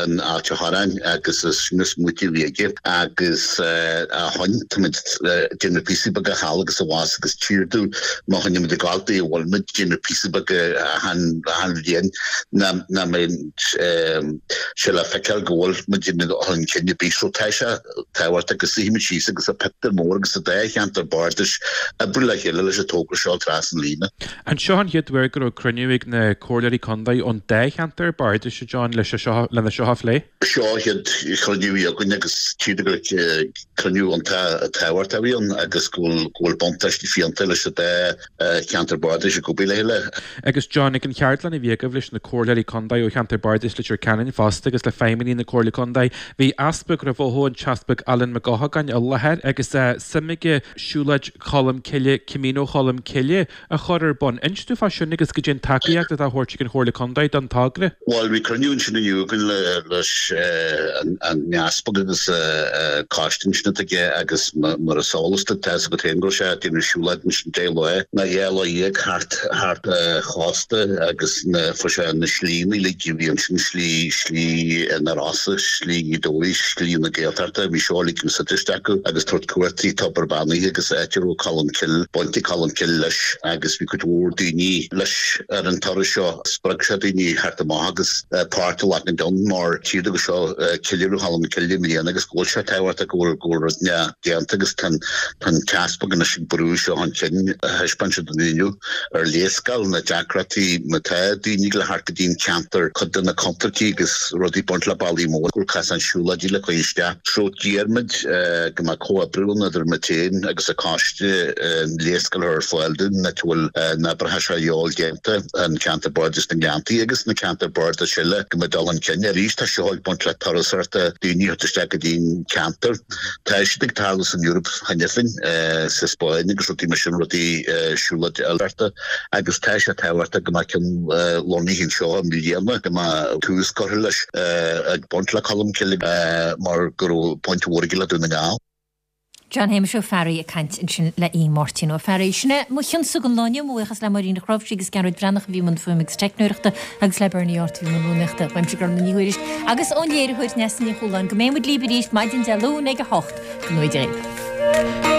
in Ailt an Chorráin agus is sin an smaoitiú a bhí aige agus ó shin táimid ag déanamh píosaí beaga thall agus abhus agus tchítear domh má choinnimid ag gabháil dó a bhfuil muid ag déanamh píosaí beaga achan achan bhliain nach nach mbeidh sé le feiceáil go bhfuil muid ag dul chun cinn ar bith so tá sé tábhachtach go suífimid síos agus an pictiúr mór agus an dá cheantar bardais oibriú le chéile leis an togra seo trasna an líne. An seo an chéad uair go raibh cruinniú ag na comhairleoirí contae ón dá cheantar bardais, a John, leis seo lena seo a phlé? Seo an chéad chruinniú a bhí againn agus tchítear gur cruinniú iontach tábhachtach a bhí ann agus go bhfuil go bhfuil buntáiste fiúntach leis an dá cheantar bardais ag obair le chéile. Agus John, ag an cheardlann a bhí agaibh leis na comhairleoirí contae ó cheantar bardais Leitir Ceanainn fosta agus le feidhmeannaigh na Comhairle Contae, bhí Easpag Mhaigh Eo, an tEaspag Alan Mac Eochagáin i láthair agus suim aige Siúlóid Cholm Cille, Camino Cholm Cille, a chur ar bun. Inis dúinn fá sin agus goidé an tacaíocht atá á thabhairt ag an Chomhairle Contae don togra. Bhuel, bhí cruinniú ansin inniu againn leis an Easpag agus coiste ansin atá aige agus mar is eolas duit, tá a fhios agat féin go raibh sé ag déanamh siúlóid ansin deich lá nó dhá lá dhéag thart thart an chósta agus na fuair sé na slíanna uilig a bhí ansin, slí slí na Rosa, slí Ghaoth Dobhair, slí na Gaeltachta, bhí seo uilig úsáidte acu agus tabhairt cuairt trí Tobar Beannaithe agus áit a raibh Colm Cille, baint ag Colm Cille leis agus bhí cuid mhór daoine leis ar an turas seo. Spreag sé daoine theacht amach agus páirt a ghlacadh ann mar tchítear go seo ceiliúradh Cholm Cille i mbliana agus go bhfuil sé tábhachtach go bhfuil go bhfuil rud déanta agus tá an tEaspag anois ag brú seo chun cinn, thaispeáin sé dúinn inniu ar léarscáil na deacrachtaí má tá daoine ag dul thart go dtí an ceantar, cuid de na contúirtí agus rudaí ag baint le bealaí móra go bhfuil casáin siúlóidí le cur isteach. So d'iarr muid go mbeadh comhoibriú ann idir muid féin agus an coiste an léarscáil a chur ar fáil dúinn áit a bhfuil na oibreacha seo a dhíobháil déanta, an ceantar bardais na nGleanntaí agus na ceantair bardais eile go mbeadh dul chun cinn. Arís tá seo ag baint le turasóireacht daoine a theacht isteach go dtí an ceantar. Tá siad ag tarlú san Eoraip cheana féin, sa Spáinn agus rudaí mar sin, rudaí siúlóid oilithreachta agus tá sé tábhachtach go mbeadh ceann lonnaithe anseo i mbliana, go mbeadh tús curtha leis ag baint le Colmcille mar go raibh baint mhór aige le Dún na nGall. John Shéamuis Ó Fearraigh ag caint ansin le Aodh Máirtín Ó Fearraigh. Sin é mo chionnsa don lá inniu. Mo bhuíochas le Máirín Ní Chnáimhsí agus Gearóid Breathnach a bhí i mbun fuaime agus teicneoireachta agus le Bernie Art a bhí i mbun rúnaíochta. Uaimse Gormfhlaith Ní Thuairisg agus ón léiritheoir Neasa Ní Chualáin go mbeidh muid libh arís maidin Dé Luain ag a hocht. Go ngnóthaí Dia dhaoibh.